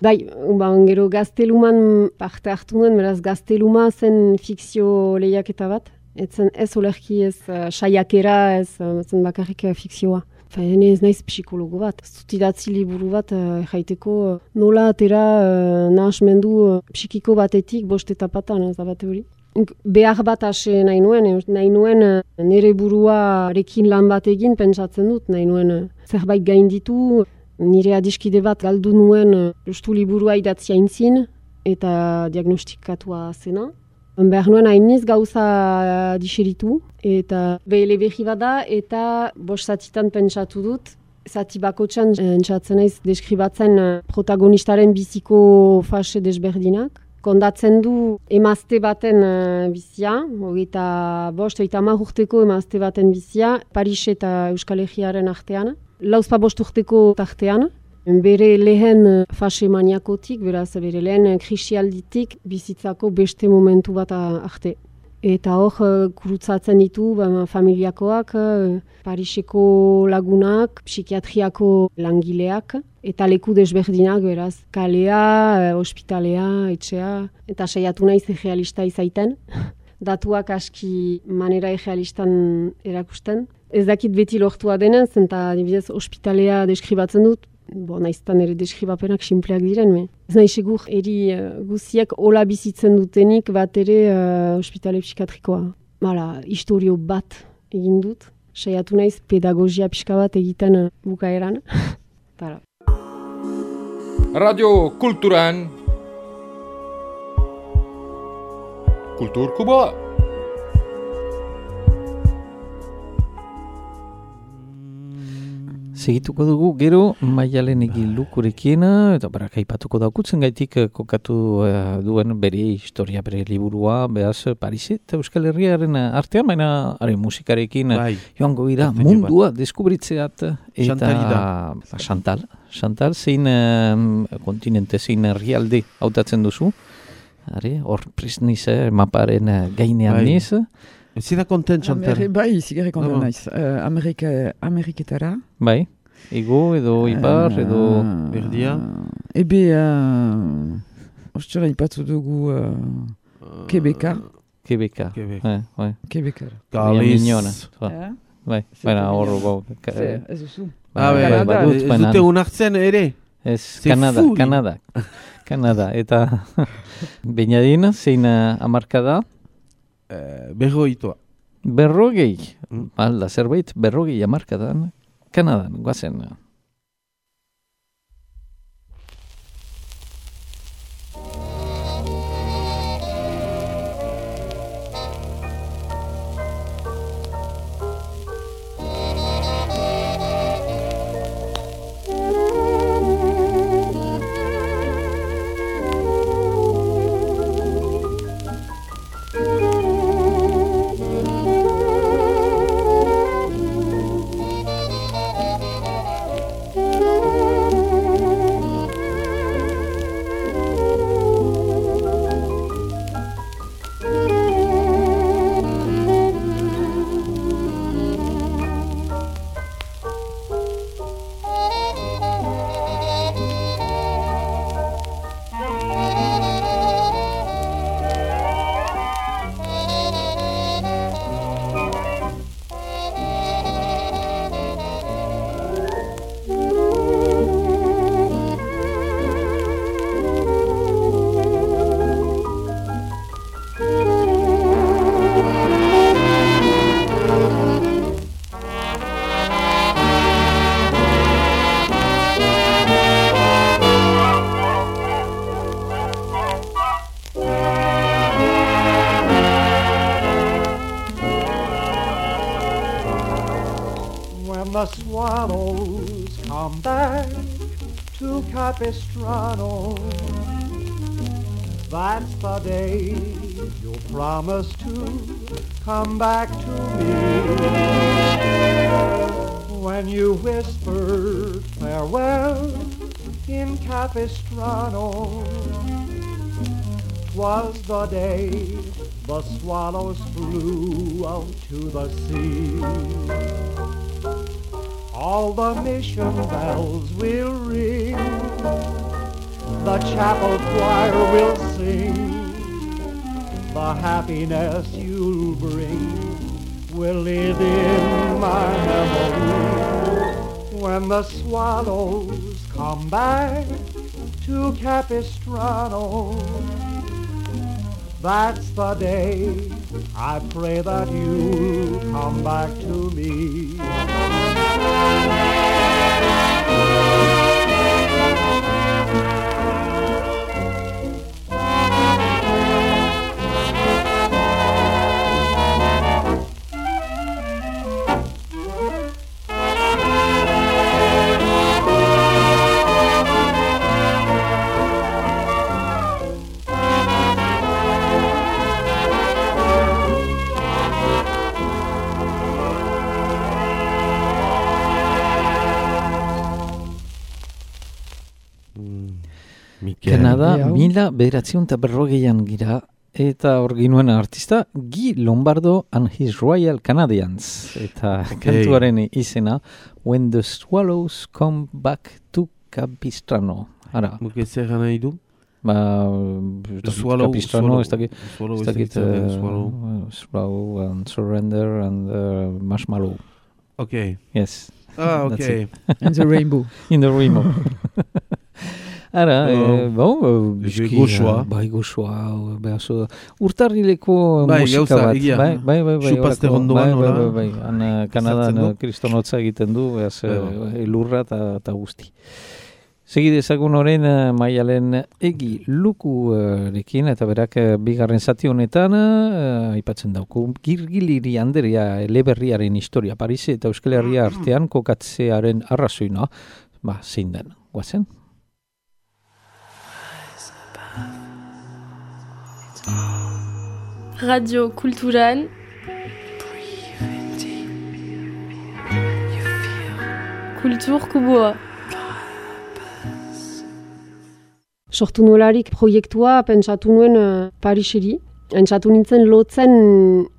Bai, ba, gero gazteluman parte hartu nuen, beraz gazteluma zen fikzio lehiaketa bat. Etzen ez olerki ez uh, saiakera, ez uh, zen bakarrik uh, fikzioa. Faene ez naiz psikologo bat. Zutidatzi liburu bat uh, jaiteko uh, nola atera uh, nahasmendu uh, psikiko batetik bost etapatan, ez da bate hori. Behar bat ase nahi nuen, nahi nuen uh, nire buruarekin lan bat egin pentsatzen dut, nahi nuen uh, zerbait gainditu, Nire adiskide bat galdu nuen justu liburua idatzia intzin eta diagnostikatua zena. Behar nuen hainiz gauza diseritu eta behele behi bada eta bost zatitan pentsatu dut. Zati bakotxan entzatzen naiz deskribatzen protagonistaren biziko fase desberdinak. Kondatzen du emazte baten uh, bizia, hogeita bost, hogeita hamar urteko emazte baten bizia, Paris eta Euskal Herriaren artean. Lauzpa bost urteko tartean, bere lehen fase maniakotik, beraz bere lehen krisialditik bizitzako beste momentu bat arte. Eta hor, kurutzatzen ditu ba, familiakoak, Pariseko lagunak, psikiatriako langileak, eta leku desberdinak, beraz, kalea, ospitalea, etxea, eta saiatu naiz egealista izaiten. Datuak aski manera egealistan erakusten. Ez dakit beti lortua denez, eta adibidez ospitalea deskribatzen dut, bo, naiztan ere deskribapenak sinpleak diren, me. Ez nahi segur, eri uh, guziak hola bizitzen dutenik bat ere uh, ospitale psikiatrikoa. Hala, historio bat egin dut. Saiatu naiz pedagogia pixka bat egiten uh, bukaeran. Tara. Radio Kulturan Kultur Kuboa. Segituko dugu gero Maialen Egilukurekin eta barak aipatuko daukutzen gaitik kokatu uh, duen bere historia, bere liburua, behaz Paris eta Euskal Herriaren artean, baina are musikarekin bai. Joango gira mundua deskubritzeat eta ba, Chantal, Chantal zein um, kontinente, zein herrialde hautatzen duzu, are, hor prisniz eh, maparen gainean bai. Niz. Zira kontent, Chantal? Amer, bai, zigare kontent naiz. Uh, Amerika, Ameriketara. Bai, ego edo ipar uh, edo... Berdia? Uh, ebe, uh, ostera ipatu dugu uh, Quebeca. Quebeca. Quebeca. Eh, bai. Quebeca. Galiz. Eh? Bai, baina horro gau. Ez duzu. Ah, bai, ez dute unartzen ere? Ez, Kanada, Kanada. Kanada, eta Beñadin, zein amarkada? Uh, berroitoa. Berrogei. Mm. Balda, zerbait berrogei amarkadan. Kanadan, guazen. The swallows come back to Capistrano. That's the day you'll promise to come back to me. When you whispered farewell in Capistrano, 'twas the day the swallows flew out to the sea. All the mission bells will ring, the chapel choir will sing, the happiness you'll bring will live in my memory. When the swallows come back to Capistrano, that's the day I pray that you'll come back to me. Kanada, Hau. mila bederatziun eta berrogeian gira, eta hor ginuen artista, Guy Lombardo and his Royal Canadians. Eta kantuaren izena, When the Swallows Come Back to Capistrano. Ara, Muke zer gana idu? ba, The Swallow, Capistrano, ez dakit, Swallow, ez dakit, uh, uh, Swallow. Swallow and Surrender and uh, Marshmallow. Ok. Yes. Ah, That's ok. And the Rainbow. In the Remo. Ara, Oh. eh, bon, Eske bizki, goxoa. eh, bai, goxoa, behaso, urtarrileko Bai, musika gauza, bat, egia. bai, bai, bai, bai, Xupaste horako, ondoan, bai, bai, hola. bai, bai, han eh, Kanadan Ezartzen du. eh, kristonotza egiten du, behaz, Bai, bai. elurra eta guzti. Segi dezagun orain eh, Maialen Egi Lukurekin, eta berak eh, bigarren zati honetan eh, aipatzen dauku Girgiliri Anderea eleberriaren historia Paris eta Euskal Herria artean kokatzearen arrazoina, ba, zein den, guazen? Radio Kulturan. Kultur Kuboa. Sortu nolarik proiektua pentsatu nuen uh, Pariseri. Pentsatu nintzen lotzen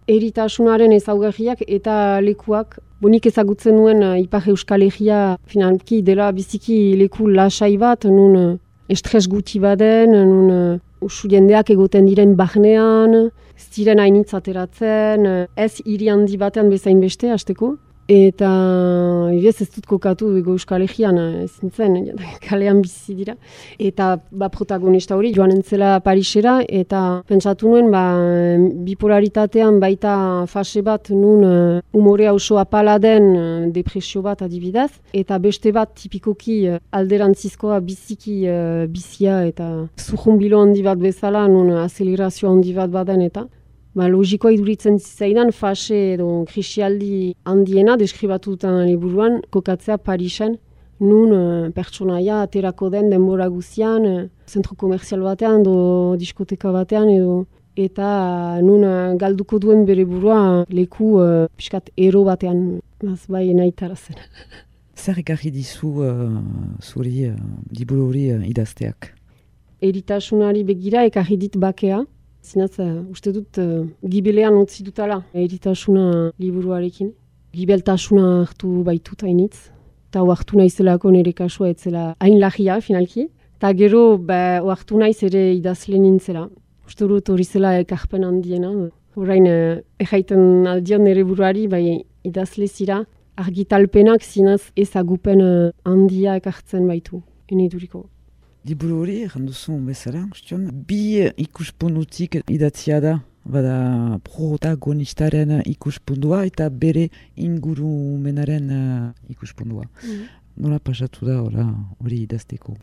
eritasunaren ezaugarriak eta lekuak. Bonik ezagutzen nuen uh, Ipar Euskal Herria finalki dela biziki leku lasai bat, nun uh, estres guti baden, nun uh, usu jendeak egoten diren barnean, ez diren hainitz ateratzen, uh, ez hiri handi batean bezain beste, hasteko. Eta ez ez dut kokatu ego Euskal Herrian, ez nintzen, kalean bizi dira. Eta ba, protagonista hori joan entzela Parisera, eta pentsatu nuen ba, bipolaritatean baita fase bat nun uh, umorea oso apala den uh, depresio bat adibidez, eta beste bat tipikoki uh, alderantzizkoa biziki uh, bizia eta zurrumbilo handi bat bezala, nun uh, azelerazio handi bat baden eta. Ba, logikoa iduritzen zizaidan fase edo krisialdi handiena deskribatu dutan liburuan kokatzea Parisen, nun uh, pertsonaia aterako den denbora guzian, uh, zentro komerzial batean edo diskoteka batean edo eta uh, nun uh, galduko duen bere burua leku uh, pixkat ero batean, az bai nahi tarazen. Zer ekarri dizu uh, zuri uh, liburu hori uh, idazteak? Eritasunari begira ekarri dit bakea. Zinaz, uh, uste dut, uh, gibelean utzi dutala eritasuna liburuarekin. Gibeltasuna hartu baitut hainitz. Eta hartu naizelako nire kasua etzela hain lagia, finalki. Eta gero, ba, hartu naiz ere idazle nintzela. Uste dut hori zela ekarpen handiena. Horrein, uh, erraiten aldion nire buruari, bai, idazle zira. Argitalpenak zinaz ezagupen uh, handia ekartzen baitu, eniduriko. Liburu hori, erranduzun bezala, ustion, bi ikuspuntutik idatzia da, bada protagonistaren ikuspuntua eta bere ingurumenaren uh, ikuspuntua. Mm. Nola pasatu da ora, hori idazteko?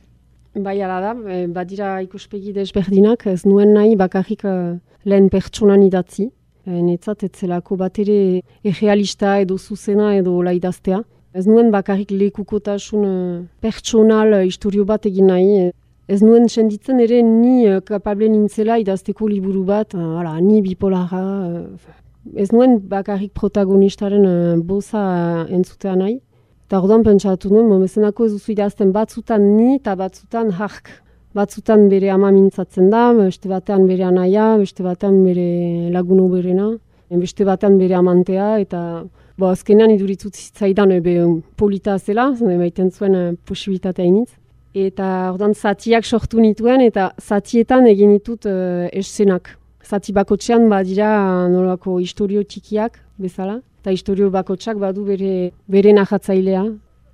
Bai, ala da, e, badira ikuspegi desberdinak, ez nuen nahi bakarrik uh, lehen pertsonan idatzi. E, netzat etzelako bat ere errealista edo zuzena edo la idaztea. Ez nuen bakarrik lekukotasun uh, pertsonal uh, historio bat egin nahi. Ez nuen senditzen ere ni uh, kapable nintzela idazteko liburu bat, uh, ala, ni bipolara. Uh, ez nuen bakarrik protagonistaren uh, boza uh, entzutea nahi. Eta orduan pentsatu nuen, momenzenako ez duzu idazten batzutan ni eta batzutan hark. Batzutan bere ama mintzatzen da, beste batean bere anaia, beste batean bere laguno berena, beste batean bere amantea, eta bo, azkenean iduritzut zitzaidan ebe polita zela, baiten zuen uh, posibilitatea initz. Eta orduan zatiak sortu nituen, eta zatietan egin ditut uh, eszenak. Zati bakotxean badira nolako historio txikiak bezala, eta historio bakotxak badu bere, bere nahatzailea.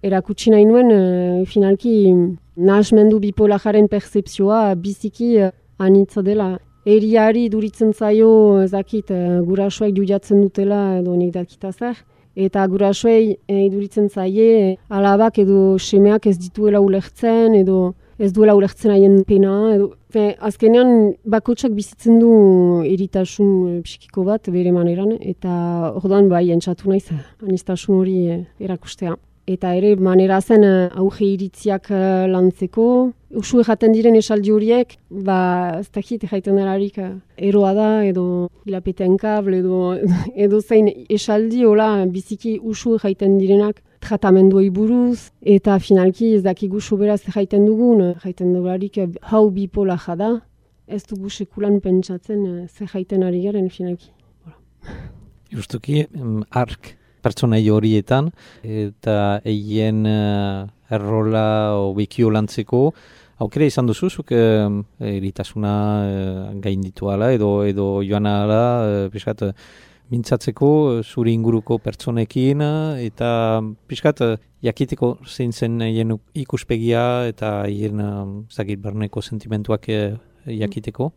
Erakutsi nahi nuen, uh, finalki, nahasmendu bipolararen percepzioa biziki uh, anitza dela. Eriari duritzen zaio, ezakit, uh, gurasoak judiatzen dutela edo nik dakita zer. Eta gurasoei e, iduritzen zaie, alabak edo semeak ez dituela ulertzen, edo ez duela ulertzen haien pena. Edo, fe, azkenean bakotsak bizitzen du eritasun e, psikiko bat bere maneran, eta orduan bai entzatu naiz anistasun hori e, erakustea. Eta ere manera zen auge iritziak uh, lantzeko. Usu erraten diren esaldi horiek, ba, ez dakit erraiten delarik uh, eroa da, edo hilapetean kabel, edo, edo zein esaldi hola biziki usu erraiten direnak. tratamenduei buruz, eta finalki ez dakigu sobera zer jaiten dugun, jaiten dugularik hau bipolaja da, ez dugu sekulan pentsatzen zer jaiten ari garen finalki. Justuki, ark pertsonai horietan, eta eien uh, errola obekio lantzeko, aukera izan duzuzuk eh, eritasuna eh, gainditu ala, edo, edo joan ala, eh, piskat, mintzatzeko zuri inguruko pertsonekin, eta piskat, jakiteko zein zen hien ikuspegia, eta hien zakit barneko sentimentuak eh, jakiteko.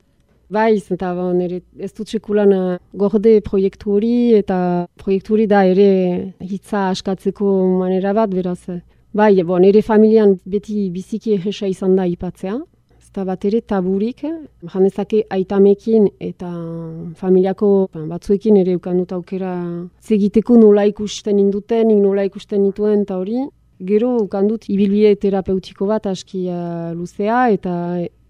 Baiz, eta bon, ere, ez dut sekulan uh, gorde proiektu hori, eta proiektu hori da ere hitza askatzeko manera bat, beraz. Bai, bon, ere familian beti biziki egesa izan da ipatzea. Ez da bat ere taburik, janezake aitamekin eta familiako batzuekin ere ukandut aukera zegiteko nola ikusten induten, nola ikusten nituen eta hori. Gero ukandut ibilbide terapeutiko bat aski uh, luzea eta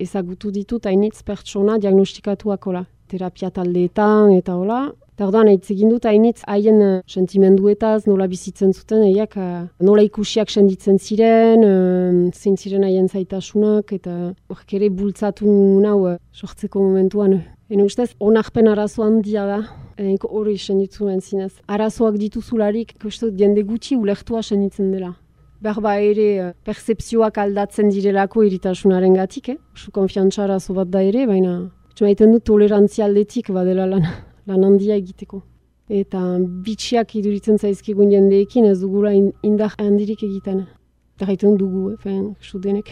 ezagutu ditut hainitz pertsona diagnostikatuakola. Terapia taldeetan eta hola. Eta orduan, hitz egin dut hainitz haien uh, sentimenduetaz, nola bizitzen zuten, eiak, uh, nola ikusiak senditzen ziren, uh, zein ziren haien zaitasunak, eta horrek ere bultzatu nau uh, sortzeko momentuan. Ene ustez, onarpen arazo handia da, eneko hori senditzen duen zinez. Arazoak dituzularik, kostu, jende gutxi ulertua senditzen dela. Berba ere, uh, percepzioak aldatzen direlako iritasunaren gatik, eh? Oso konfiantza arazo bat da ere, baina txumaiten dut tolerantzia aldetik badela lan. lan handia egiteko. Eta bitxiak iduritzen zaizkigun jendeekin ez dugula indar handirik egiten. Eta gaiten dugu, efen, sudenek.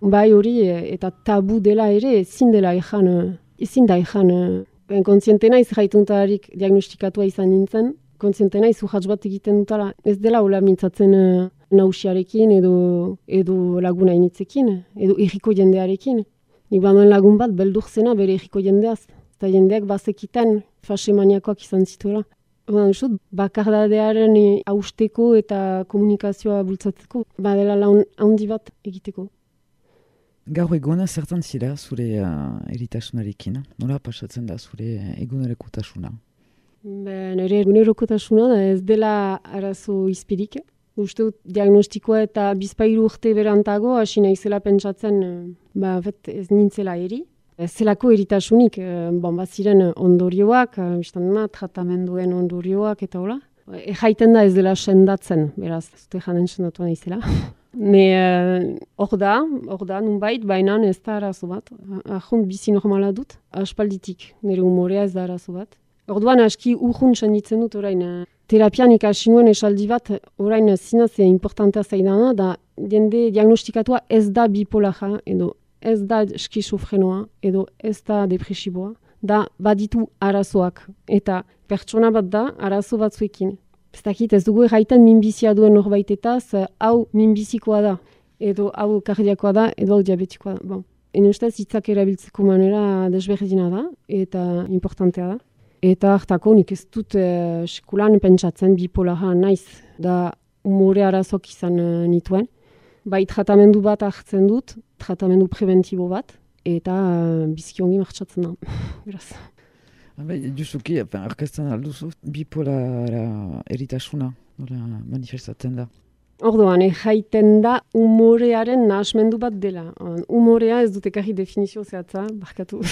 Bai hori, eta tabu dela ere, ezin dela ezan, ezin da ezan. Ben, kontziente naiz gaituntararik diagnostikatua izan nintzen, kontziente naiz urratz bat egiten dutala. Ez dela hola mintzatzen uh, nausiarekin edo, edo laguna initzekin, edo erriko jendearekin. Nik banduen lagun bat beldur zena bere erriko jendeaz. Eta jendeak bazekiten fase maniakoak izan zituela. Bakardadearen hausteko eta komunikazioa bultzatzeko, badela laun handi bat egiteko. Gaur egona zertan zira zure uh, eritasunarekin? Nola pasatzen da zure egunerokotasuna? Ben, ere egunerokotasuna da ez dela arazo izpirik. Uste dut diagnostikoa eta bizpairu urte berantago, hasi naizela pentsatzen, ba, bet, ez nintzela eri. Ez zelako eritasunik, bon, bat ziren ondorioak, biztan tratamenduen ondorioak eta hola. Ejaiten da ez dela sendatzen, beraz, zute janen sendatu naizela. Ne, hor uh, da, hor da, nunbait, baina ez da arazo bat. Ahont bizi normala dut, aspalditik, nire umorea ez da arazo bat. Orduan aski urrun senditzen dut orain. Terapian ikasi nuen esaldi bat, orain zinaz importantea zaidana, da jende diagnostikatua ez da bipolaja edo ez da skizofrenoa edo ez da depresiboa, da baditu arazoak. Eta pertsona bat da arazo batzuekin. Ez dakit, ez dugu erraiten minbizia duen norbaitetaz, hau minbizikoa da, edo hau kardiakoa da, edo hau diabetikoa da. Bon. Ene ustez, hitzak erabiltzeko manera desberdina da, eta importantea da. Eta hartako nik ez dut eh, sekulan pentsatzen bipolara naiz, da umore arazok izan uh, nituen. Bai, tratamendu bat hartzen dut, tratamendu preventibo bat, eta uh, biziki ongi martxatzen da. Beraz. Justuki, orkestan alduzu, bipolara eritasuna, nola manifestatzen da. Orduan, jaiten da umorearen nahasmendu bat dela. Umorea ez dut ekarri definizio zehatza, barkatu.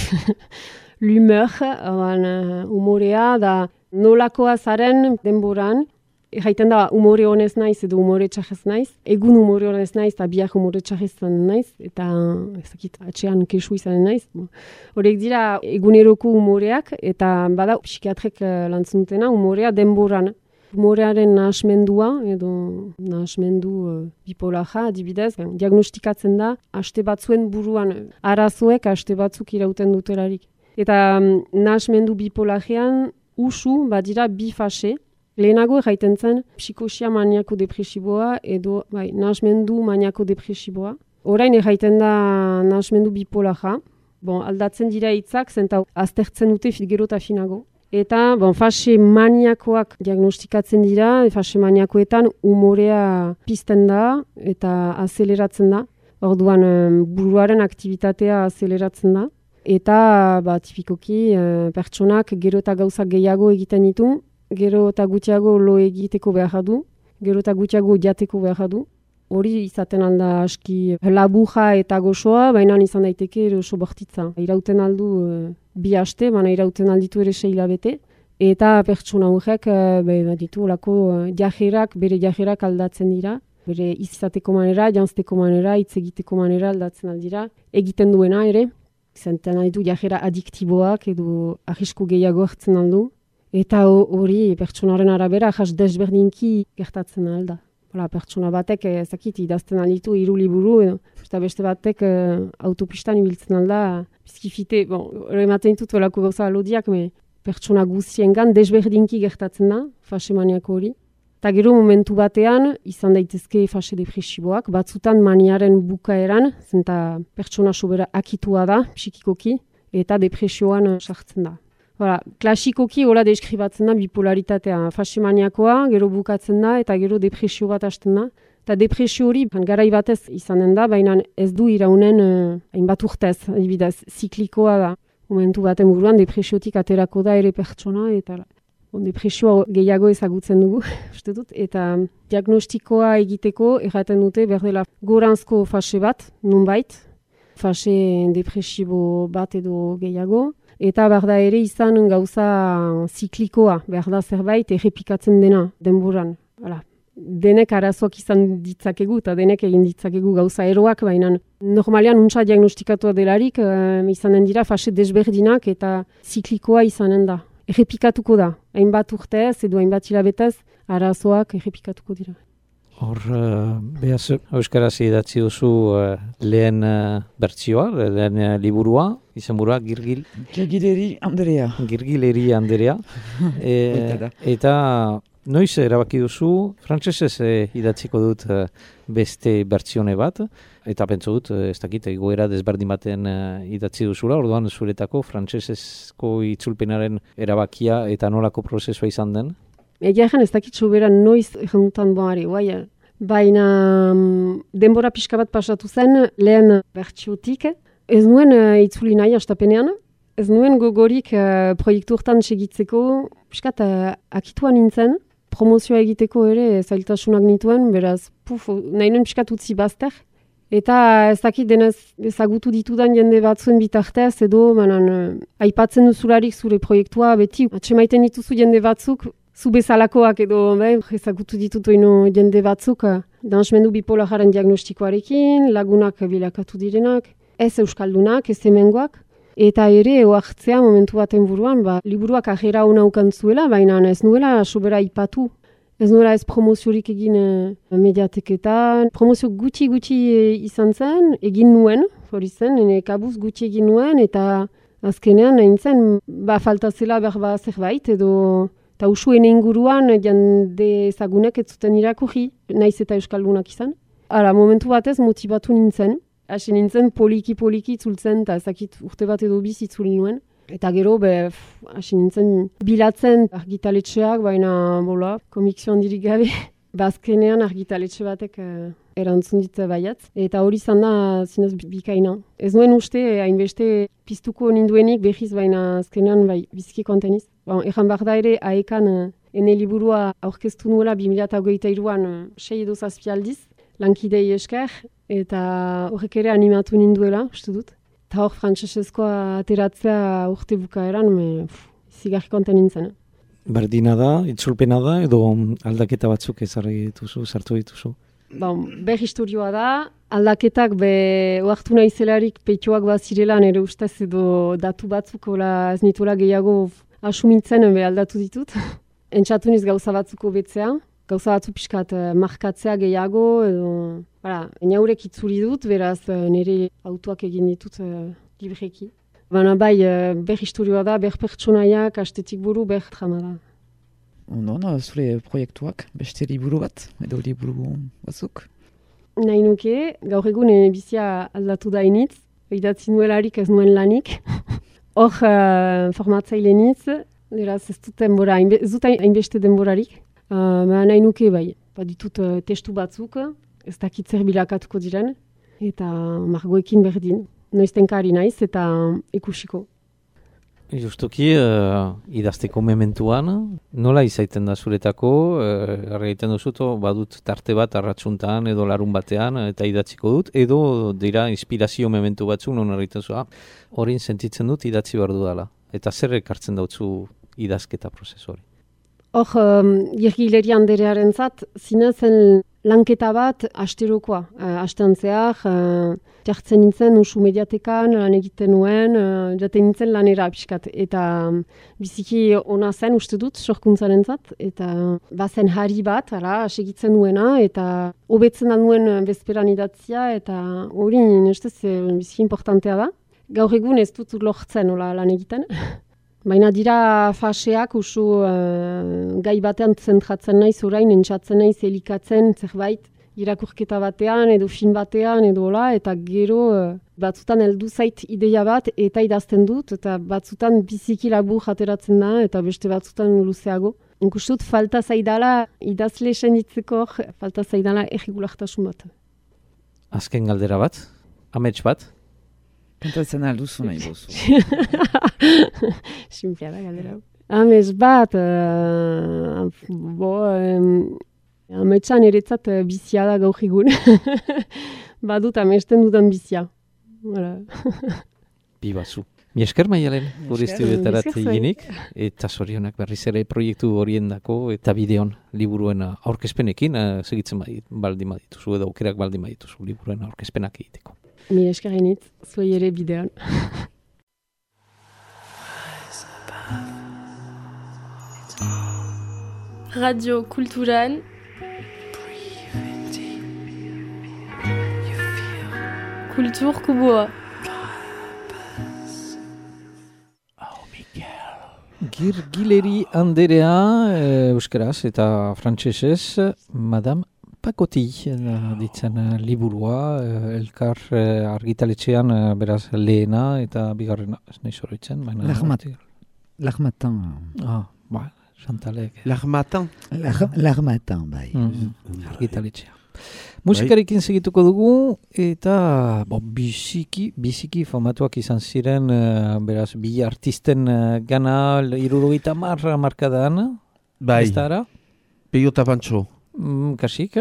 L'humeur, uh, umorea da nolakoa zaren denboran, jaiten da umore honez naiz edo umore txarrez naiz, egun umore honez naiz eta biak umore txarrez naiz, eta ezakit, atxean kesu izanen naiz. Horrek dira eguneroko umoreak, eta bada psikiatrek uh, lantzen dutena umorea denboran. Umorearen nahasmendua, edo nahasmendu uh, bipolaja, adibidez, diagnostikatzen da, haste batzuen buruan, arazoek haste batzuk irauten dutelarik. Eta um, nahasmendu bipolajean, usu, badira bi fase. Lehenago erraiten zen, psikosia maniako depresiboa edo bai, nahasmendu maniako depresiboa. Orain erraiten da nahasmendu bipolaja. Bon, aldatzen dira hitzak, zenta aztertzen dute gero eta finago. Eta bon, fase maniakoak diagnostikatzen dira, fase maniakoetan umorea pizten da eta azeleratzen da. Orduan um, buruaren aktivitatea azeleratzen da. Eta ba, tipikoki uh, pertsonak gero eta gauzak gehiago egiten ditu, gero eta gutxiago lo egiteko behar du, gero eta gutxiago jateko behar du. Hori izaten alda aski labuja eta gozoa, baina izan daiteke ere oso bortitza. Irauten aldu e, bi aste, baina irauten alditu ere sei hilabete. Eta pertsona horrek e, ditu olako jajerak, bere jajerak aldatzen dira. Bere izateko manera, janzteko manera, hitz egiteko manera aldatzen aldira. Egiten duena ere, izanten aldu jajera adiktiboak edo arrisku gehiago hartzen aldu. Eta hori pertsonaren arabera jas desberdinki gertatzen alda. Hala, pertsona batek ezakit idazten alditu hiru liburu edo eta beste batek eh, autopistan ibiltzen alda bizkifite, bon, ematen ditut olako gauza alodiak, me pertsona guztiengan desberdinki gertatzen da fase maniako hori. Eta gero momentu batean izan daitezke fase depresiboak, batzutan maniaren bukaeran, zenta pertsona sobera akitua da psikikoki eta depresioan sartzen da. Hala, klasikoki hola deskribatzen da bipolaritatea, fase maniakoa, gero bukatzen da eta gero depresio bat hasten da. Eta depresio hori garai batez izanen da, baina ez du iraunen uh, hainbat urtez, adibidez, ziklikoa da. Momentu baten buruan depresiotik aterako da ere pertsona eta bon, depresioa gehiago ezagutzen dugu, uste dut. Eta diagnostikoa egiteko erraten dute berdela goranzko fase bat, nunbait, fase depresibo bat edo gehiago. Eta behar da ere izan gauza ziklikoa, behar da zerbait errepikatzen dena denboran. Hala. Denek arazoak izan ditzakegu eta denek egin ditzakegu gauza eroak, baina normalean untsa diagnostikatua delarik uh, izanen dira fase desberdinak eta ziklikoa izanen da. Errepikatuko da, hainbat urtez edo hainbat hilabetez arazoak errepikatuko dira. Hor, uh, behaz, euskaraz idatzi duzu uh, lehen uh, bertsioa, lehen uh, liburua, izenburua Girgil. Girgileri Anderea. Girgileri Anderea. e, eta noiz erabaki duzu, frantsesez eh, idatziko dut uh, beste bertsione bat, eta pentsu dut, ez dakit, egoera desberdin baten uh, idatzi duzula, orduan zuretako frantsesezko itzulpenaren erabakia eta nolako prozesua izan den? Egia egen ez dakit soberan noiz egendutan boari, bai, baina um, denbora pixka bat pasatu zen lehen bertsiotik. Ez nuen uh, itzuli nahi astapenean, ez nuen gogorik uh, proiektu hortan segitzeko, piskat uh, akitua nintzen, promozioa egiteko ere zailtasunak nituen, beraz, puf, nahi nuen piskat utzi bazter. Eta ez dakit denez ezagutu ditudan jende batzuen bitartez, edo manan, uh, aipatzen duzularik zure proiektua, beti atsemaiten dituzu jende batzuk, zu bezalakoak edo be, ezagutu ditutu ino jende batzuk, uh, dansmendu bipolararen diagnostikoarekin, lagunak bilakatu direnak, ez euskaldunak, ez hemengoak. Eta ere, oartzea momentu baten buruan, ba, liburuak ajera hona ukantzuela, baina ez nuela sobera ipatu. Ez nuela ez promoziorik egin e, mediateketan. Promozio gutxi-gutxi e, izan zen, egin nuen, hori zen, ene kabuz gutxi egin nuen, eta azkenean egin zen, ba, falta zela berba zerbait, edo eta usuen inguruan jende ezagunek ez zuten irakurri, naiz eta euskaldunak izan. Hala, momentu batez motibatu nintzen. Hasi nintzen poliki-poliki itzultzen, eta ezakit urte bat edo biz itzuli nuen. Eta gero, be, hasi nintzen bilatzen argitaletxeak, baina, bola, komikzio handirik gabe. Bazkenean argitaletxe batek eh, erantzun dit baiatz. Eta hori izan da zinez bikaina. Ez nuen uste, hainbeste piztuko ninduenik behiz, baina azkenean bai, bizki konteniz. Bon, egan behar da ere, aekan eh, ene liburua aurkeztu nuela bi mila hogeita hiruan eh, sei edo zazpi aldiz, lankidei esker, eta horrek ere animatu ninduela, uste dut. Eta hor frantsesezkoa ateratzea urte bukaeran, zigarri konten nintzen. Berdina da, itzulpena da, edo aldaketa batzuk ezarri dituzu, sartu dituzu? Bon, ber historioa da, aldaketak be oartu nahizelarik petioak bat zirela nire ustez edo datu batzuk ola, ez nitola gehiago asumitzen be aldatu ditut. Entxatu niz gauza batzuko betzea. Gauza batzu pixkat uh, markatzea gehiago, edo, bara, inaurek itzuli dut, beraz uh, nire autoak egin ditut uh, libreki. Baina bai, uh, ber historioa da, ber pertsonaiak, astetik buru, ber trama da. Ondo, no, zure proiektuak, beste liburu bat, edo liburu batzuk? Nahi nuke, gaur egun bizia aldatu da initz, idatzi nuelarik ez nuen lanik. Hor, uh, formatzaile nitz, beraz ez dut denbora, ez dut hainbeste denborarik. Uh, nahi nuke bai, baditut uh, testu batzuk, ez dakit zer bilakatuko diren, eta margoekin berdin. Noiztenkari naiz eta ikusiko. Justuki, uh, idazteko mementuan, nola izaiten da zuretako, uh, egiten duzuto, badut tarte bat arratsuntan edo larun batean, eta idatziko dut, edo dira inspirazio mementu batzuk, non egiten zua, horin sentitzen dut idatzi behar dudala. Eta zer ekartzen dautzu idazketa prozesu hori? Hor, um, Girgileri anderearen zat, zinezen lanketa bat asterokoa. Uh, astean zehar, uh, jartzen nintzen usu mediatekan, lan egiten nuen, uh, jaten nintzen lanera pixkat. Eta um, biziki ona zen uste dut, sorkuntzaren zat, eta bazen hari bat, ara, segitzen nuena, eta hobetzen da nuen bezperan idatzia, eta hori nestez biziki importantea da. Gaur egun ez dut lortzen hola lan egiten. Baina dira faseak usu uh, gai batean zentratzen naiz orain, entzatzen naiz elikatzen zerbait irakurketa batean edo film batean edo hola, eta gero uh, batzutan heldu zait ideia bat eta idazten dut, eta batzutan biziki labur ateratzen da eta beste batzutan luzeago. Inkustut falta zaidala idazle senditzeko, falta zaidala erregulartasun bat. Azken galdera bat, amets bat? Kantatzen alduzu nahi bozu. Simplea da galdera. Amets bat, uh, bo, um, ametsan eretzat uh, bizia da gaur egun. Badut amesten dudan bizia. Voilà. Bibazu. Mi esker Maialen, gure estudioetarat eginik, eta zorionak berriz ere proiektu horiendako eta bideon liburuen aurkezpenekin, uh, segitzen baldin badituzu, edo aukerak baldin badituzu liburuen aurkezpenak egiteko. Mi eskerenit, zuei ere bidean. Radio Kulturan. Kultur Kubua. Girgileri anderea, eh, euskaraz eta frantsesez, Madame Pakoti ditzen uh, liburua, uh, elkar uh, argitaletxean uh, beraz lehena eta bigarrena, ez nahi zoroitzen. L'Armatan. Ah, ba, Chantalek. L'Armatan. L'Armatan, bai. Mm, argitaletxea. Musikarekin segituko dugu eta bo, biziki, biziki famatuak izan ziren, uh, beraz, bi artisten uh, gana hirurogeita hamar markadan. Bai. Ez da ara? Peio eta Pantxo. Mm, kasik?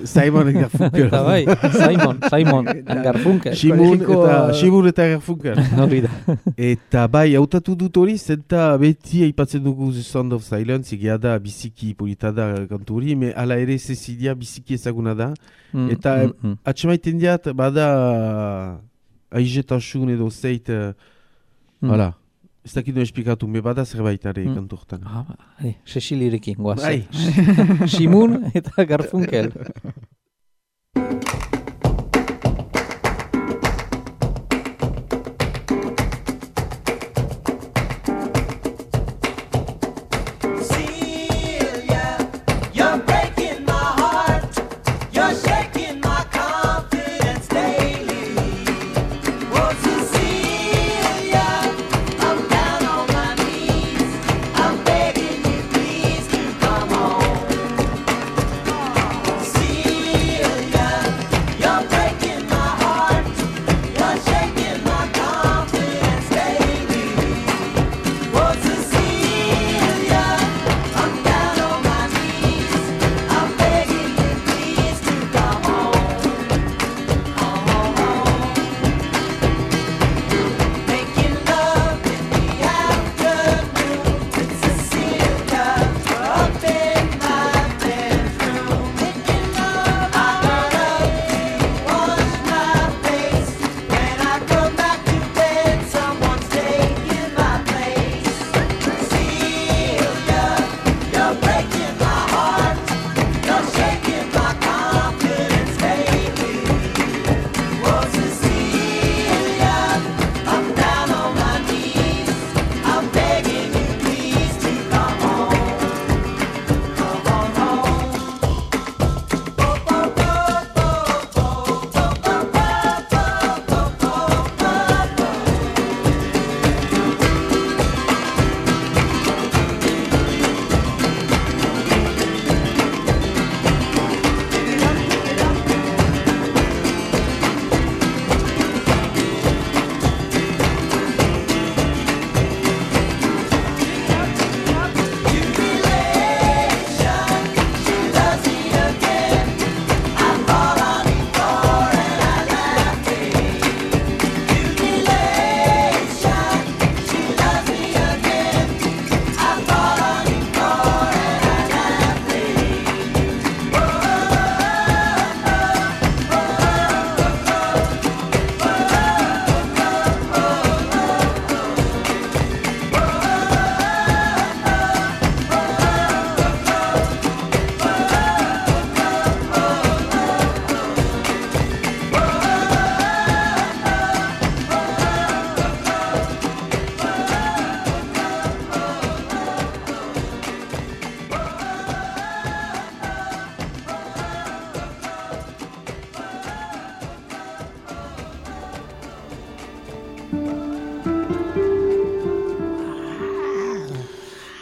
Simon eta Garfunkel. Eta bai, Simon, Simon, Garfunkel. Simon eta, Simon eta Garfunkel. Hori da. Eta bai, hautatu dut hori, zenta beti aipatzen dugu The Sound of Silence, egia da biziki polita da kantu hori, me ala ere Cecilia biziki ezaguna da. Mm, Eta mm, mm. atxemaiten diat, bada aizetasun edo zeit, Mm. hala. Ez dakit duen esplikatu, me bada zerbait are Mm. kantu hortan. Ah, ba, Cecilirekin, guaz. Bai. Simon eta Garfunkel. See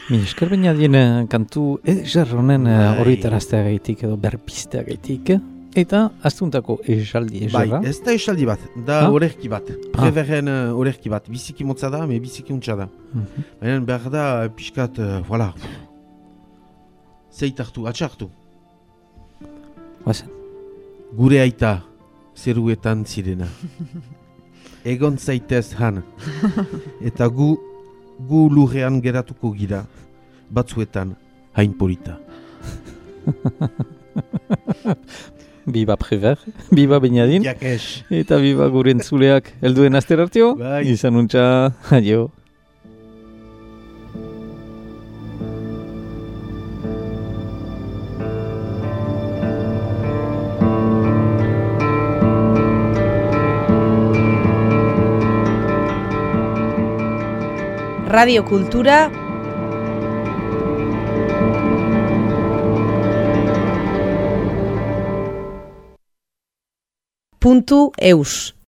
Mi esker baina dien kantu eder honen Bai. horritaraztea gaitik edo berpistea gaitik. Eta astuntako esaldi eserra. Bai, ez da esaldi bat, da Ah? orerki bat. Preverren uh, orerki bat. Biziki motza da, me biziki untsa da. Mhm. Baina behar da, pixkat, uh, voilà. Zeitartu, atxartu. Bazen. Gure aita, zeruetan zirena. Egon zaitez han. Eta gu, gu lurrean geratuko gira. Batzuetan, hain polita. Biba Prever, biba Beñadin, Jakes. eta biba gure entzuleak helduen aster hartio. Bai. Izan untxa, aio. Radio Kultura puntu eus